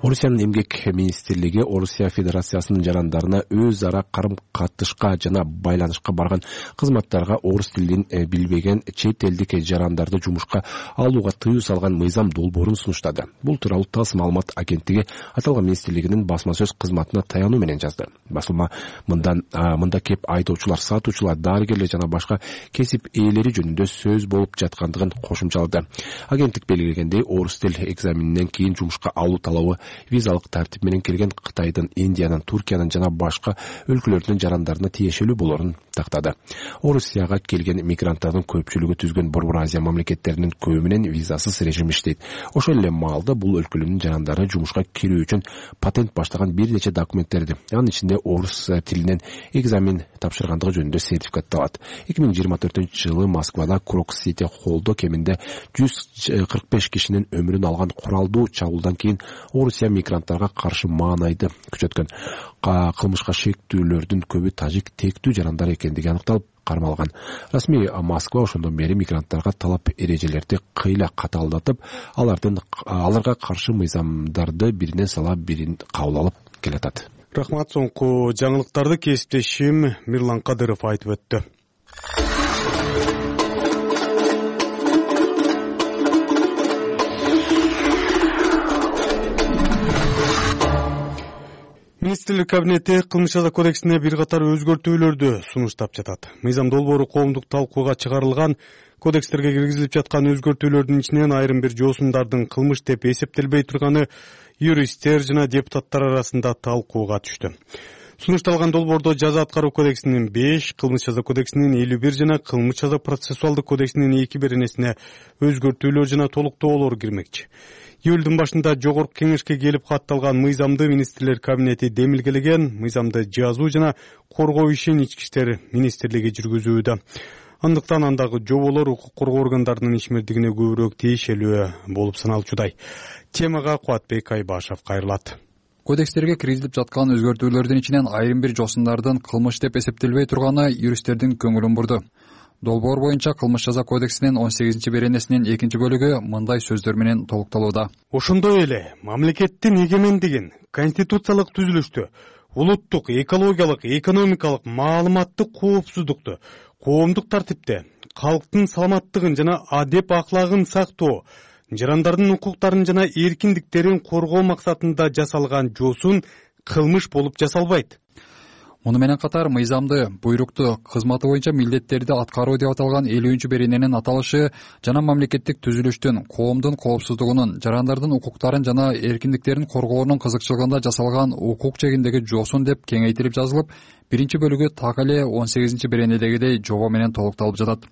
Орусиянын эмгек министрлиги Орусия Федерациясынын жарандарына өз ара карым-катышка жана байланышка барган кызматтарга орус тилин билбеген чет элдик жарандарды жумушка алууга тыюу салган мыйзам долбоорун сунуштады. Бул тууралуу ТАСС маалымат агенттиги аталган министрлигинин басма сөз кызматына таянуу менен жазды. Басылма мында кеп айдоочулар, сатуучулар, дарыгерлер жана башка кесип ээлери жөнүндө сөз болуп жаткандыгын кошумчалады. Агенттик белгилегендей, орус тил экзаменинен кийин жумушка алуу талабы визалык тартип менен келген Кытайдын, Индиянын, Туркиянын жана башка өлкөлөрдүн жарандарына тиешелүү болорун тактады. Орусияга келген мигранттардын көпчүлүгү түзгөн Борбор Азия мамлекеттеринин көбү менен визасыз режим иштейт. Ошол эле маалда бул өлкөлөрдүн жарандары жумушка кирүү үчүн патент баштаган бир нече документтерди, анын ичинде орус тилинен экзамен тапшыргандыгы жөнүндө сертификатты алат. 2024-жылы Москвада Крокс-Сити холлдо кеминде 145 кишинин өмүрүн алган куралдуу чабуулдан кийин Орусия мигранттарга каршы маанайды күчөткөн. Кылмышка шектүүлөрдүн көбү тажик тектүү жарандар экендиги аныкталып кармалган. Расмий Москва ошондон бери мигранттарга талап эрежелерди кыйла катаалдатып, аларга каршы мыйзамдарды биринен сала бирин кабыл алып келатат. Рахмат. Соңку жаңылыктарды кесиптешим Мирлан Кадыров айтып өттү. Министрлер кабинети кылмыш жаза кодексине бир катар өзгөртүүлөрдү сунуштап жатат. Мыйзам долбоору коомдук талкууга чыгарылган кодекстерге киргизилип жаткан өзгөртүүлөрдүн ичинен айрым бир жоосундардын кылмыш деп эсептелбей турганы юристтер жана депутаттар арасында талкууга түштү. Сунушталган долбоордо жаза аткаруу кодексинин 5, кылмыш жаза кодексинин 51 жана кылмыш жаза процессуалдык кодексинин 2 беренесине өзгөртүүлөр жана толуктоолор кирмекчи. Июлдун башында жогорку кеңешке келип катталган мыйзамды министрлер кабинети демилгелеген. Мыйзамды жазуу жана коргоо ишин ички иштер министрлиги жүргүзүүдө. Андыктан андагы жоболор укук коргоо органдарынын ишмердигине көбүрөөк тиешелүү болуп саналчудай. Темага Кубатбек Айбашев кайрылат. Кодекстерге киргизилип жаткан өзгөртүүлөрдүн ичинен айрым бир жоосундардын кылмыш деп эсептелбей турганы юристтердин көңүлүн бурду. Долбоор боюнча кылмыш жаза кодексинин 18 беренесинин 2 бөлүгү мындай сөздөр менен толукталууда. Ошондой эле мамлекеттин эгемендигин, конституциялык түзүлүштү, улуттук, экологиялык, экономикалык, маалыматтык коопсуздукту, коомдук тартипти, калктын саламаттыгын жана адеп аклагын сактоо, жарандардын укуктарын жана эркиндиктерин коргоо максатында жасалган жоосун кылмыш болуп жасалбайт. Муну менен катар мыйзамды, буйрукту, кызматы боюнча милдеттерди аткаруу деп аталган 50-берененин аталышы жана мамлекеттик түзүлүштүн, коомдун коопсуздугунун, жарандардын укуктарын жана эркиндиктерин коргоонун кызыкчылыгында жасалган укук чегиндеги жоосун деп кеңейтилип жазылып, 1 бөлүгү так эле 18 беренедегидей жобо менен толукталып жатат.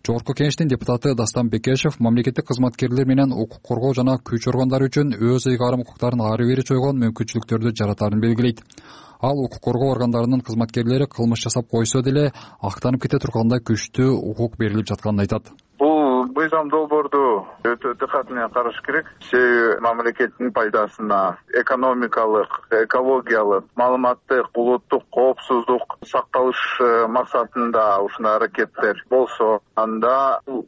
Жогорку кеңештин депутаты Дастан Бекешев мамлекеттик кызматкерлер менен укук коргоо жана күч органдары үчүн өз ыйгарым укуктарын ары бери чойгон мүмкүнчүлүктөрдү жаратарын белгилейт. Ал укук коргоо органдарынын кызматкерлери кылмыш жасап койсо деле актанып кете тургандай күчтүү укук берилип жатканын айтат. Бул мыйзам долбоорду өтө дыкат менен караш керек. Себеби мамлекеттин пайдасына экономикалык, экологиялык, маалыматтык, улуттук коопсуздук сакталыш максатында ушундай аракеттер болсо, анда бул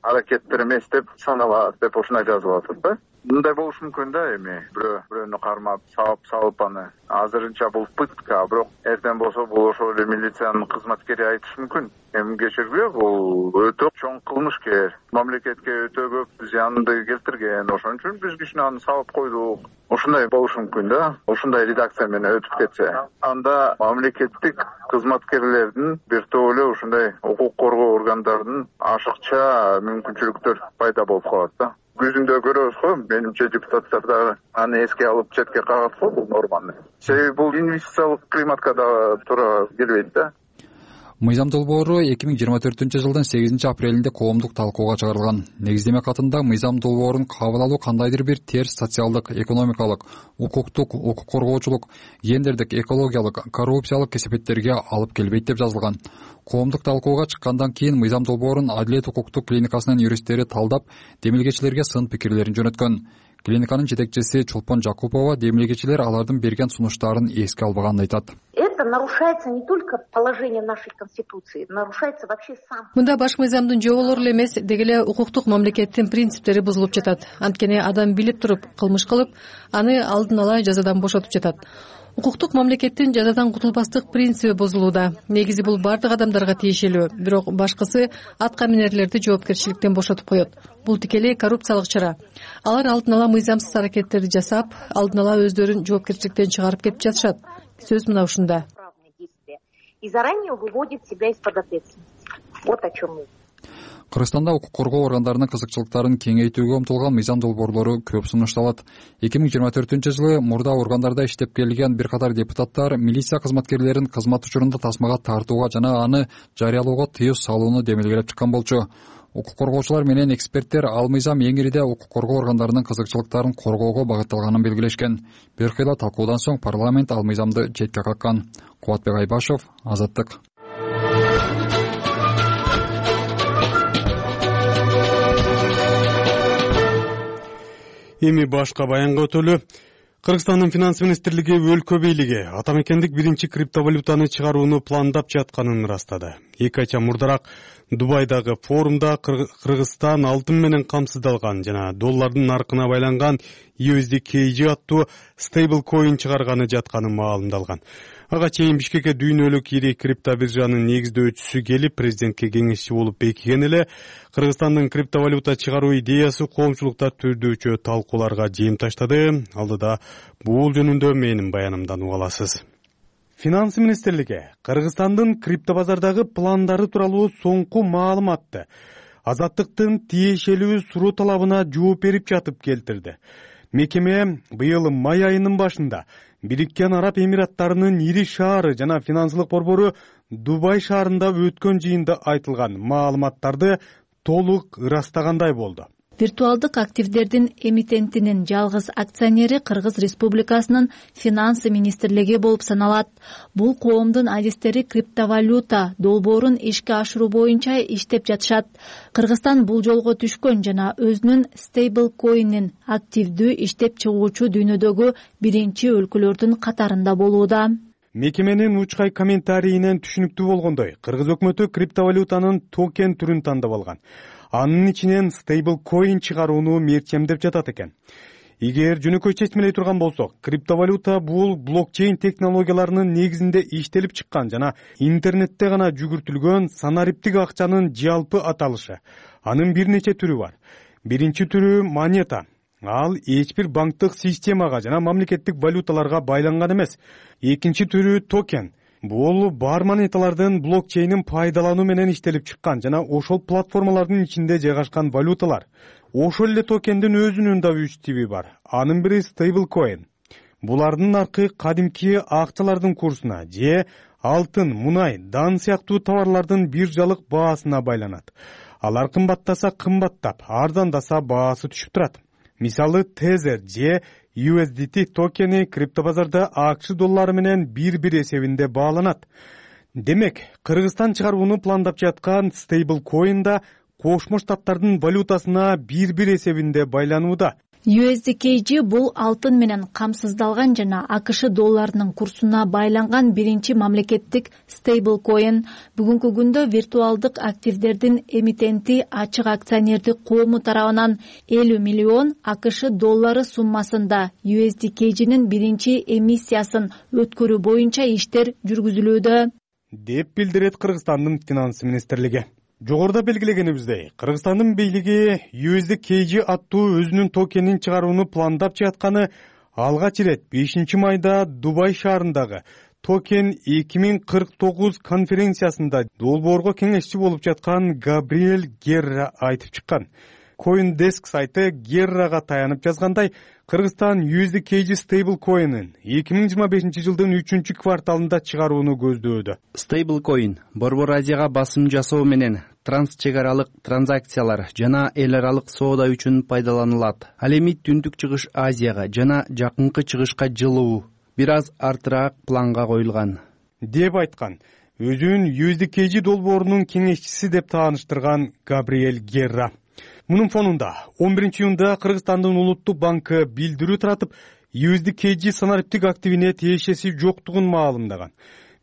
аракеттер эмес деп саналат деп ушундай жазылып атат да. Мындай болушу мүмкүн да, эми бирөөнү кармап, салып аны. Азырынча бул пытка, бирок эртең болсо бул ошол эле милициянын кызматкери айтышы мүмкүн. Эми кечирбей бул өтө чоң кылмышкер, мамлекетке өтө көп зыянды келтирген. Ошон үчүн биз кичине аны салып койдук. Ушундай болушу мүмкүн да, ушундай редакция менен өтүп кетсе. Анда мамлекеттик кызматкерлердин бир топ эле ушундай укук коргоо органдарынын ашыкча мүмкүнчүлүктөр пайда болуп калат да. Күзүндө көрөбүз го, менимче депутаттар да аны эске алып четке кагат го бул норманы. Себеби бул инвестициялык климатка да туура келбейт да. Мыйзам долбоору 2024-жылдын 8 апрелинде коомдук талкууга чыгарылган. Негиздеме катында мыйзам долбоорун кабыл алуу кандайдыр бир терс социалдык, экономикалык, укуктук, укук коргоочулук, гендердик, экологиялык, коррупциялык кесепеттерге алып келбейт деп жазылган. Коомдук талкууга чыккандан кийин мыйзам долбоорун Адилет укуктук клиникасынын юристтери талдап, демилгечилерге сын пикирлерин жөнөткөн. Клиниканын жетекчиси Чолпон Жакупова демилгечилер алардын берген сунуштарын эске албаганын айтат. Это нарушается не только положение нашей конституции, нарушается вообще сам. Мында баш мыйзамдын жоболору эле эмес, деги эле укуктук мамлекеттин принциптери бузулуп жатат. Анткени адам билип туруп кылмыш кылып, аны алдын ала жазадан бошотуп жатат. Укуктук мамлекеттин жазадан кутулбастык принциби бузулууда. Негизи бул бардык адамдарга тиешелүү, бирок башкысы атка минерлерди жоопкерчиликтен бошотуп коет. Бул тикелей коррупциялык чара. Алар алдын ала мыйзамсыз аракеттерди жасап, алдын ала өздөрүн жоопкерчиликтен чыгарып кетип жатышат. Сөз мына ушунда. И заранее выводит себя из-под ответственности. Вот о чем мы. Кыргызстанда укук коргоо органдарынын кызыкчылыктарын кеңейтүүгө умтулган мыйзам долбоорлору көп сунушталат. 2024-жылы мурда органдарда иштеп келген бир катар депутаттар милиция кызматкерлерин кызмат учурунда тасмага тартууга жана аны жарыялоого тыюу салууну демилгелеп чыккан болчу. Укук коргоочулар менен эксперттер ал мыйзам эң ириде укук коргоо органдарынын кызыкчылыктарын коргоого багытталганын белгилешкен. Бир кыйла талкуудан соң парламент ал мыйзамды четке каккан. Кубатбек Айбашев, Азаттык. Эми башка баянга өтөлү. Кыргызстандын финанс министрлиги өлкө бийлиги атамекендик биринчи криптовалютаны чыгарууну пландап жатканын ырастады. 2 айча мурдараак Дубайдагы форумда Кыргызстан алтын менен камсыздалган жана доллардын наркына байланган USDKG аттуу стейблкоин чыгарганы жатканы маалымдалган. Ага чейин Бишкекке дүйнөлүк ири криптобиржанын негиздөөчүсү келип, президентке кеңешчи болуп бекиген эле. Кыргызстандын криптовалюта чыгаруу идеясы коомчулукта түрдүүчү талкууларга жем таштады. Алдыда бул жөнүндө менин баянымдан уга аласыз. Финанс министрлиги Кыргызстандын криптобазардагы пландары тууралуу соңку маалыматты Азаттыктын тиешелүү суроо талабына жооп берип жатып келтирди. Мекеме быйыл май айынын башында Бириккен Араб Эмираттарынын ири шаары жана финансылык борбору Дубай шаарында өткөн жыйында айтылган маалыматтарды толук ырастагандай болду. Виртуалдык активдердин эмитентинин жалгыз акционери Кыргыз Республикасынын финанс министрлиги болуп саналат. Бул коомдун адистери криптовалюта долбоорун ишке ашыруу боюнча иштеп жатышат. Кыргызстан бул жолго түшкөн жана өзүнүн стейбл коинин активдүү иштеп чыгуучу дүйнөдөгү биринчи өлкөлөрдүн катарында болууда. Мекеменин учкай комментарийинен түшүнүктүү болгондой, Кыргыз өкмөтү криптовалютанын токен түрүн тандап алган. Анын ичинен стейбл коин чыгарууну мерчемдеп жатат экен. Эгер жөнөкөй чечмелей турган болсок, криптовалюта бул блокчейн технологияларынын негизинде иштелип чыккан жана интернетте гана жүгүртүлгөн санариптик акчанын жалпы аталышы. Анын бир нече түрү бар. Биринчи түрү монета. Ал эч бир банктык системага жана мамлекеттик валюталарга байланган эмес. Экинчи түрү токен. Бул бар монеталардын блокчейнин пайдалануу менен иштелип чыккан жана ошол платформалардын ичинде жайгашкан валюталар. Ошол эле токендин өзүнүн да 3 тиби бар. Анын бири стейбл коин. Булардын наркы кадимки акчалардын курсуна же алтын, мунай, дан сыяктуу товарлардын биржалык баасына байланат. Алар кымбаттаса кымбаттап, арзандаса баасы түшүп турат. Мисалы Tether же USDT токени криптобазарда АКШ доллары менен бир эсебинде бааланат. Демек, Кыргызстан чыгарууну пландап жаткан стейбл коин да Кошмо Штаттардын валютасына бир эсебинде байланууда. USDKG бул алтын менен камсыздалган жана АКШ долларынын курсуна байланган биринчи мамлекеттик стейбл коин. Бүгүнкү күндө виртуалдык активдердин эмитенти ачык акционердик коому тарабынан 50 миллион АКШ доллары суммасында USDKG'нин биринчи эмиссиясын өткөрүү боюнча иштер жүргүзүлүүдө, деп билдирет Кыргызстандын финанс министрлиги. Жогоруда белгилегенибиздей, Кыргызстандын бийлиги USDKG аттуу өзүнүн токенин чыгарууну пландап жатканы алгач ирет 5 майда Дубай шаарындагы Токен 2049 конференциясында долбоорго кеңешчи болуп жаткан Габриэль Герра айтып чыккан. CoinDesk сайты Геррага таянып жазгандай, Кыргызстан USDKG стейбл коинин 2025 жылдын 3 кварталында чыгарууну көздөөдө. Стейбл коин Борбор Азияга басым жасоо менен трансчек аралык транзакциялар жана эл аралык соода үчүн пайдаланылат. Ал эми Түндүк Чыгыш Азияга жана жакынкы чыгышка жылуу бир аз артыраак планга коюлган, деп айткан. Өзүн USDKG долбоорунун кеңешчиси деп тааныштырган Габриэль Герра. Мунун фонунда 11 июнда Кыргызстандын Улуттук банкы билдирүү таратып, USDKG санариптик активине тиешеси жоктугун маалымдаган.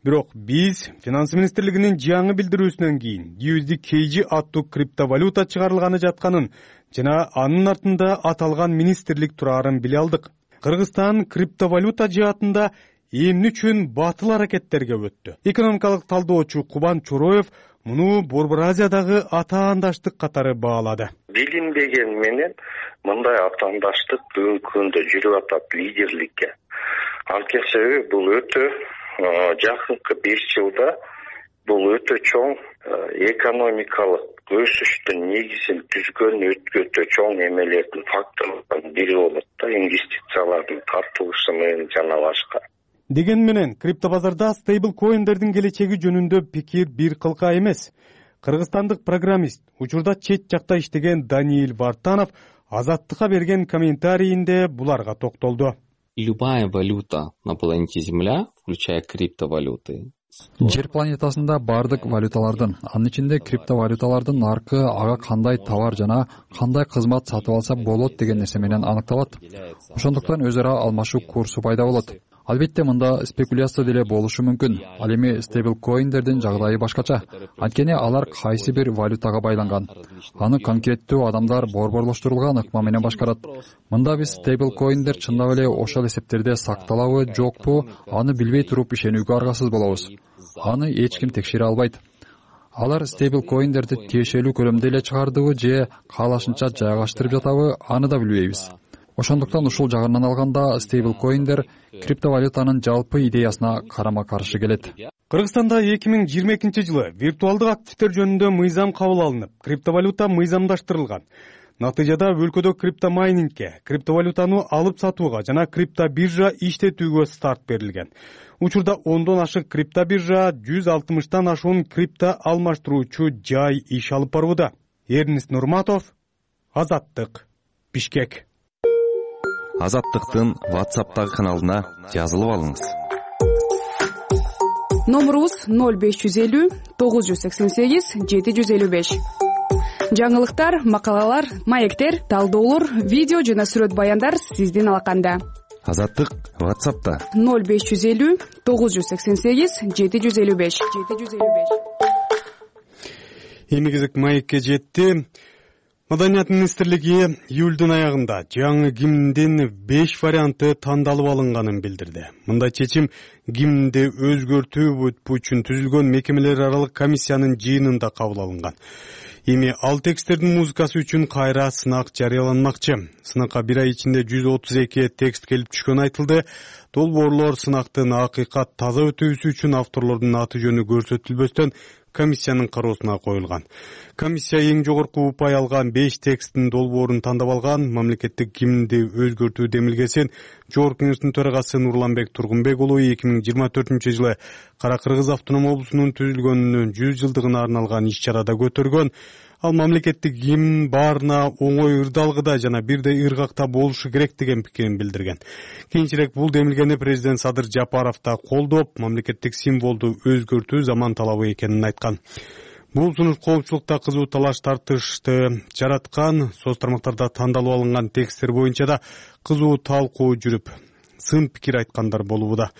Бирок биз финанс министрлигинин жаңы билдирүүсүнөн кийин USDKG аттуу криптовалюта чыгарылганы жатканын жана анын артында аталган министрлик турарын биле алдык. Кыргызстан криптовалюта жаатында эмне үчүн батыл аракеттерге өттү? Экономикалык талдоочу Кубан Чороев муну Борбор Азиядагы атаандаштык катары баалады. Билинбеген менен мындай атаандаштык бүгүнкү күндө жүрүп атат лидерликке. Анткени себеби бул өтө жакынкы 5 жылда бул өтө чоң экономикалык өсүштүн негизин түзгөн өтө чоң эмелердин факторлордун бири болот да, инвестициялардын тартылышы менен жана башка. Деген менен криптобазарда стейбл коиндердин келечеги жөнүндө пикир бир кылка эмес. Кыргызстандык программист, учурда чет жакта иштеген Даниил Вартанов Азаттыкка берген комментарийинде буларга токтолду. Любая валюта на планете Земля, включая криптовалюты. Жер планетасында бардык валюталардын, анын ичинде криптовалюталардын наркы ага кандай товар жана кандай кызмат сатып алса болот деген нерсе менен аныкталат. Ошондуктан өз ара алмашуу курсу пайда болот. Албетте мында спекуляция деле болушу мүмкүн. Ал эми стейблкоиндердин жагдайы башкача. Анткени алар кайсы бир валютага байланган. Аны конкреттүү адамдар борборлоштурулган ыкма менен башкарат. Мында биз стейблкоиндер чындап эле ошол эсептерде сакталабы, жокпу, аны билбей туруп ишенүүгө аргасыз болобуз. Аны эч ким текшере албайт. Алар стейблкоиндерди тиешелүү көлөмдө эле чыгардыбы же каалашынча жайгаштырып жатабы, аны да билбейбиз. Ошондуктан ушул жагынан алганда стейблкоиндер криптовалютанын жалпы идеясына карама-каршы келет. Кыргызстанда 2022-жылы виртуалдык активдер жөнүндө мыйзам кабыл алынып, криптовалюта мыйзамдаштырылган. Натыйжада өлкөдө криптомайнингке, криптовалютаны алып сатууга жана криптобиржа иштетүүгө старт берилген. Учурда 10дон ашык криптобиржа, 160тан ашуун крипто алмаштыруучу жай иш алып барууда. Эрнис Нурматов, Азаттык, Бишкек. Азаттыктын WhatsApp'тагы каналына жазылып алыңыз. Номерубуз 0550 988 755. Жаңылыктар, макалалар, маектер, талдоолор, видео жана сүрөт баяндар сиздин алаканда. Азаттык WhatsApp'та 0550 988 755. Эми кезек маекке жетти. Маданият министрлиги июлдун аягында жаңы гимндин 5 варианты тандалып алынганын билдирди. Мындай чечим гимнди өзгөртүү үчүн түзүлгөн мекемелер аралык комиссиянын жыйынында кабыл алынган. Эми ал тексттердин музыкасы үчүн кайра сынак жарыяланмакчы. Сынакка бир ай ичинде 132 текст келип түшкөнү айтылды. Долбоорлор сынактын акыйкат таза өтүүсү үчүн авторлордун аты жөнү көрсөтүлбөстөн комиссиянын кароосуна коюлган. Комиссия эң жогорку упай алган 5 тексттин долбоорун тандап алган. Мамлекеттик гимнди өзгөртүү демилгесин Жогорку кеңештин төрагасы Нурланбек Тургунбек уулу 2024-жылы Кара Кыргыз автоном облусунун түзүлгөнүнүн 100 жылдыгына арналган иш-чарада көтөргөн. Ал мамлекеттик гимн баарына оңой ырдалгыда жана бирдей ыргакта болушу керек деген пикирин билдирген. Кийинчерээк бул демилгени президент Садыр Жапаров да колдоп, мамлекеттик символду өзгөртүү заман талабы экенин айткан. Бул сунуш коопчулукта кызуу талаш тартышты жараткан. Соц тармактарда тандалып алынган тексттер боюнча да кызуу талкуу жүрүп, сын пикир айткандар болууда.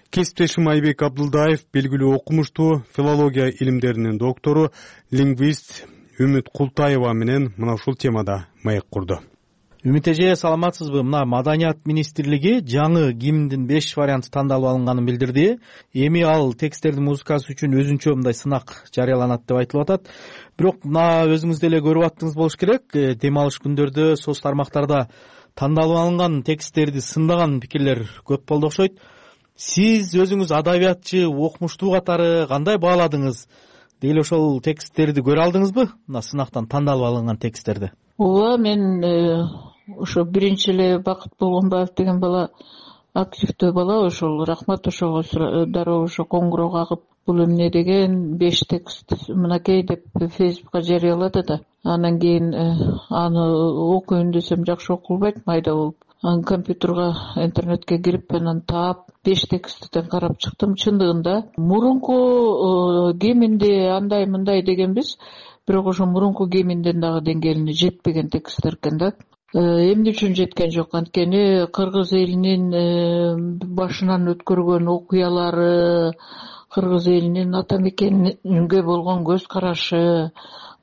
Кесиптешим Айбек Абдулдаев белгилүү окумуштуу, филология илимдеринин доктору, лингвист Үмүт Култаева менен мына ушул темада маек курду. Үмүт эже, саламатсызбы? Мына Маданият министрлиги жаңы гимндин 5 варианты тандалып алынганын билдирди. Эми ал тексттердин музыкасы үчүн өзүнчө мындай сынак жарыяланат деп айтылып атат. Бирок мына өзүңүз деле көрүп аттыңыз болуш керек. Дем алыш күндөрдө соц тармактарда тандалып алынган тексттерди сындаган пикирлер көп болду окшойт. Сиз өзүңүз адабиятчы, окумуштуу катары кандай бааладыңыз? Деги ошол тексттерди көрө алдыңызбы? Мына сынактан тандалып алынган тексттерди. Ооба, мен ошо биринчи эле Бакыт Болгонбаев деген бала, активдүү бала, ошол рахмат ошого дароо ошо коңгуроо кагып, бул эмне деген 5 текст мынакей деп Фейсбукка жарыялады да. Анан кийин аны окуйн десем жакшы окулбайт, майда болуп. Анан компьютерге, интернетке кирип, анан таап 5 тексттен карап чыктым. Чындыгында мурунку гимнди андай мындай дегенбиз, бирок ошо мурунку гимндин дагы деңгээлине жетпеген тексттер экен да. Эмне үчүн жеткен жок? Анткени кыргыз элинин башынан өткөргөн окуялары, кыргыз элинин ата мекенге болгон көз карашы,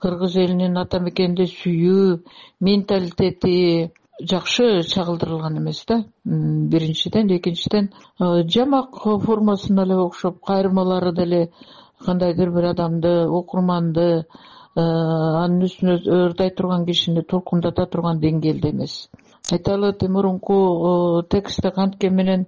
кыргыз элинин ата мекенди сүйүү менталитети жакшы чагылдырылган эмес да. Биринчиден, экинчиден жамак формасына эле окшоп, кайрылмалары деле кандайдыр бир адамды, окурманды анын үстүнө ырдай турган кишини толкундата турган деңгээлде эмес. Айталы мурунку текстте канткен менен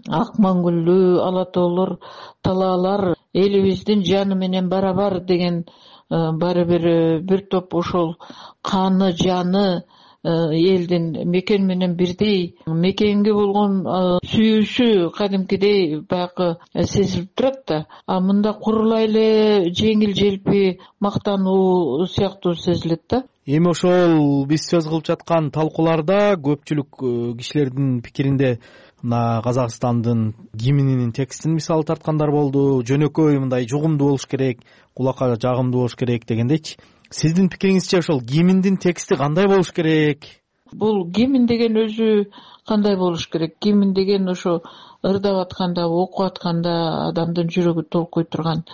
ак маңгүллүү, ала тоолор, талаалар элибиздин жаны менен барабар деген баары бир топ ошол каны, жаны элдин мекен менен бирдей, мекенге болгон сүйүүсү кадимкидей баягы сезилип турат да. А мында курулай эле жеңил желпи мактануу сыяктуу сезилет да. Эми ошол биз сөз кылып жаткан талкууларда көпчүлүк кишилердин пикиринде мына Казакстандын гимнинин текстин мисалы тарткандар болду. Жөнөкөй мындай жугумдуу болуш керек, кулакка жагымдуу болуш керек дегендейчи. Сиздин пикириңизче ошол гимндин тексти кандай болуш керек? Бул гимн деген өзү кандай болуш керек? Гимн деген ошо ырдап атканда, окуп атканда адамдын жүрөгү толкуй турган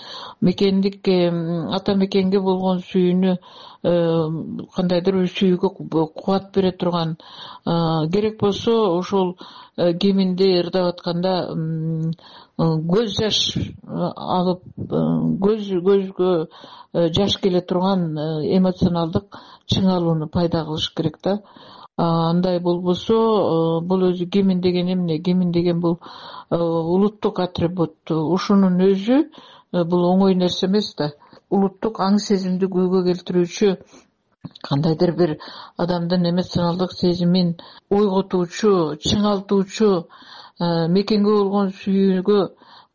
мекендик ата мекенге болгон сүйүүнү кандайдыр бир сүйүүгө кубат бере турган, керек болсо ошол гимнди ырдап атканда көз жаш агып, көзгө жаш келе турган эмоционалдык чыңалууну пайда кылыш керек да. Андай болбосо, бул өзү гимн деген эмне? Гимн деген бул улуттук атрибут. Ушунун өзү бул оңой нерсе эмес да. Улуттук аң сезимди күйгө келтирүүчү, кандайдыр бир адамдын эмоционалдык сезимин ойготуучу, чыңалтуучу, мекенге болгон сүйүүгө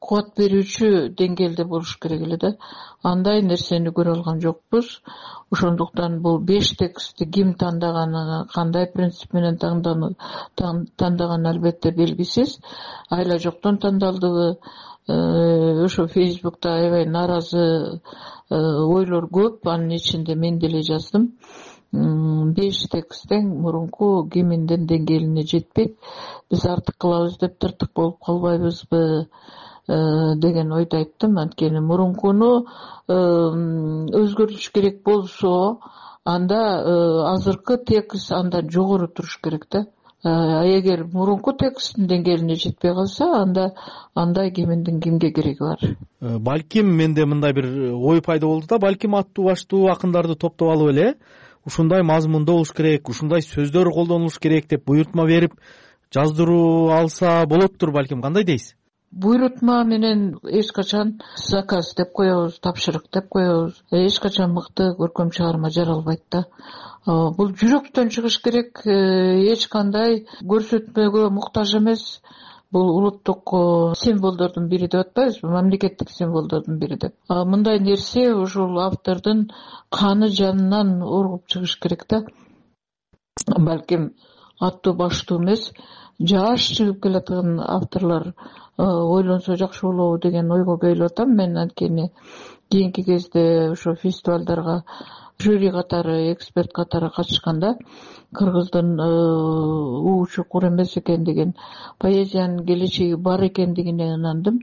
кубат берүүчү деңгээлде болуш керек эле да. Андай нерсени көрө алган жокпуз. Ошондуктан бул 5 текстти ким тандаганы, кандай принцип менен тандаганы албетте белгисиз. Айла жоктон тандалдыбы? Ошо Фейсбукта аябай нааразы ойлор көп, анын ичинде мен деле жаздым. 5 тексттен мурунку гимндин деңгээлине жетпек. Биз артык кылабыз деп тыртык болуп калбайбызбы деген ойду айттым. Анткени мурункуну өзгөртүш керек болсо, анда азыркы текст андан жогору туруш керек да. Эгер мурунку тексттин деңгээлине жетпей калса, анда андай гимндин кимге кереги бар? Балким менде мындай бир ой пайда болду да, балким аттуу баштуу акындарды топтоп алып эле ушундай мазмунда болуш керек, ушундай сөздөр колдонулуш керек деп буйрутма берип жаздыруу алса болоттур балким. Кандай дейсиз? Буйрутма менен эч качан заказ деп коебуз, тапшырык деп коебуз. Эч качан мыкты көркөм чыгарма жаралбайт да. Бул жүрөктөн чыгыш керек, эч кандай көрсөтмөгө муктаж эмес. Бул улуттук символдордун бири деп атпайбызбы, мамлекеттик символдордун бири деп. Мындай нерсе ушул автордун каны жанынан оргуп чыгыш керек да. Балким аттуу баштуу эмес, жаш чыгып келаткан авторлор ойлонсо жакшы болобу деген ойго келип атам мен. Анткени кийинки кезде ошо фестивалдарга жюри катары, эксперт катары катышканда кыргыздын чукур эмес экен деген, поэзиянын келечеги бар экендигине ынандым.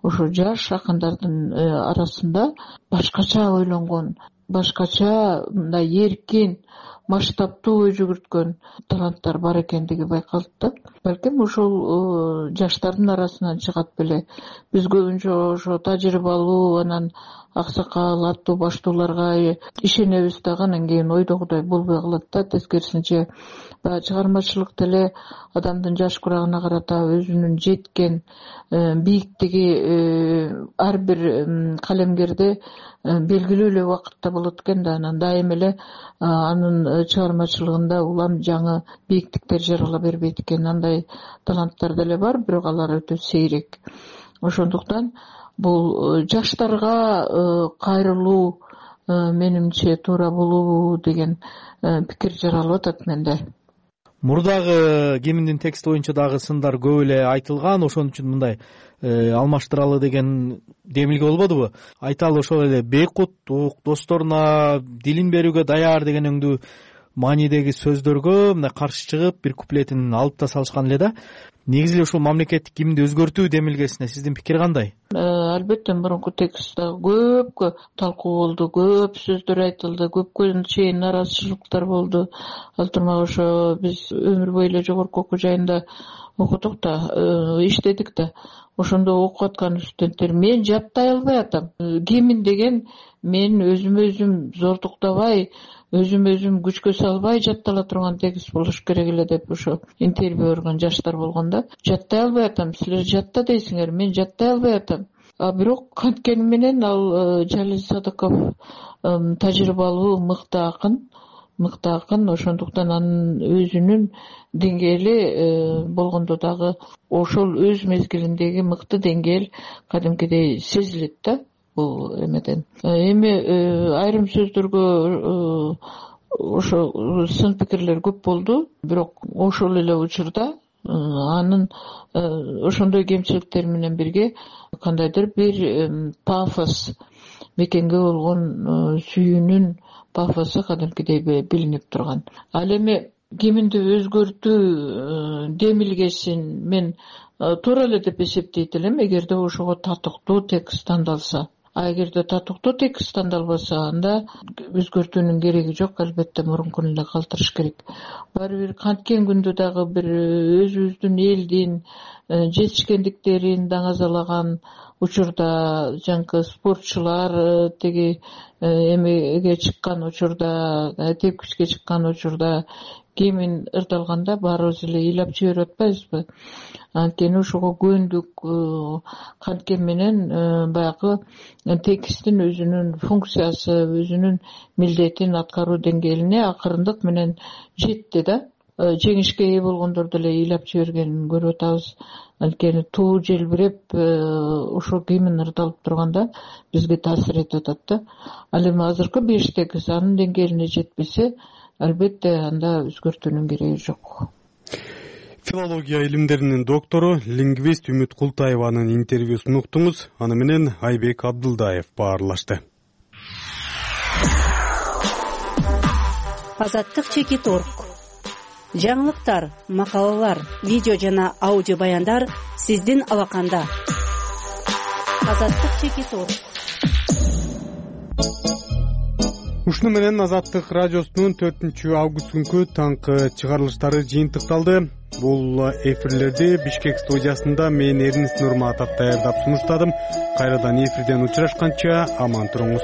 Ошо жаш акындардын арасында башкача ойлонгон, башкача мындай эркин, масштабтуу ой жүгүрткөн таланттар бар экендиги байкалды да. Балким ушул жаштардын арасынан чыгат беле. Биз көбүнчө ошо тажрыйбалуу, анан аксакал, аттуу баштууларга ишенебиз дагы, анан кийин ойдогудай болбой калат да. Тескерисинче баягы чыгармачылык деле адамдын жаш курагына карата өзүнүн жеткен бийиктиги ар бир калемгерде белгилүү эле убакытта болот экен да. Анан дайым эле анын чыгармачылыгында улам жаңы бийиктиктер жарала бербейт экен. Андай таланттар деле бар, бирок алар өтө сейрек. Ошондуктан бул жаштарга кайрылуу менимче туура болобу деген пикир жаралып атат менде. Мурдагы гимндин тексти боюнча дагы сындар көп эле айтылган, ошон үчүн мындай алмаштыралы деген демилге болбодубу? Айталы ошол эле бейкуттук, досторуна дилин берүүгө даяр деген өңдүү маанидеги сөздөргө мындай каршы чыгып бир куплетин алып да салышкан эле да. Негизи эле ушул мамлекеттик гимнди өзгөртүү демилгесине сиздин пикир кандай? Албетте мурунку текстте көп талкуу болду, көп сөздөр айтылды, көпкө чейин нааразычылыктар болду. Ал турмак ошо биз өмүр бою эле жогорку окуу жайында окудук да, иштедик да. Ошондо окуп аткан студенттер мен жаттай албай атам. Гимн деген мен өзүм зордуктабай, өзүм күчкө салбай жаттала турган текст болуш керек эле деп ошо интервью берген жаштар болгон да. Жаттай албай атам, силер жатта дейсиңер, мен жаттай албай атам. Бирок канткени менен ал Жалил Садыков тажрыйбалуу мыкты акын, ошондуктан анын өзүнүн деңгээли болгондо дагы ошол өз мезгилиндеги мыкты деңгээл кадимкидей сезилет да. Бул эмеден эми айрым сөздөргө ошо сын пикирлер көп болду, бирок ошол эле учурда анын ошондой кемчиликтери менен бирге кандайдыр бир пафос, мекенге болгон сүйүүнүн пафосу кадимкидей билинип турган. Ал эми гимнди өзгөртүү демилгесин мен туура эле деп эсептейт элем, эгерде ошого татыктуу текст тандалса. А эгерде татыктуу текст тандалбаса, анда өзгөртүүнүн кереги жок, албетте мурункун эле калтырыш керек. Баары бир канткен күндө дагы бир өзүбүздүн элдин жетишкендиктерин даңазалаган учурда, жанагы спортчулар тиги эмеге чыккан учурда, тепкичке чыккан учурда кемин ырдалганда баарыбыз эле ыйлап жиберип атпайбызбы? Анткени ошого көөндүк канткен менен баягы текстин өзүнүн функциясы, өзүнүн милдетин аткаруу деңгээлине акырындык менен жетти да. Жеңишке ээ болгондор деле ыйлап жибергенин көрүп атабыз. Анткени туу желбиреп ошо кимин ырдалып турганда бизге таасир этип атат да. Ал эми азыркы 5 анын деңгээлине жетпесе, албетте анда өзгөртүүнүн кереги жок. Филология илимдеринин доктору, лингвист Үмүт Култаеванын интервьюсун уктуңуз. Аны менен Айбек Абдылдаев баарлашты. Азаттык Чекит.org. Жаңылыктар, макалалар, видео жана аудио баяндар сиздин алаканда. Азаттык Чекит.org. Ушуну менен Азаттык радиосунун 4-август күнкү таңкы чыгарылыштары жыйынтыкталды. Бул эфирлерди Бишкек студиясында мен Эрнис Нурматов даярдап сунуштадым. Кайрадан эфирден учурашканча аман туруңуз.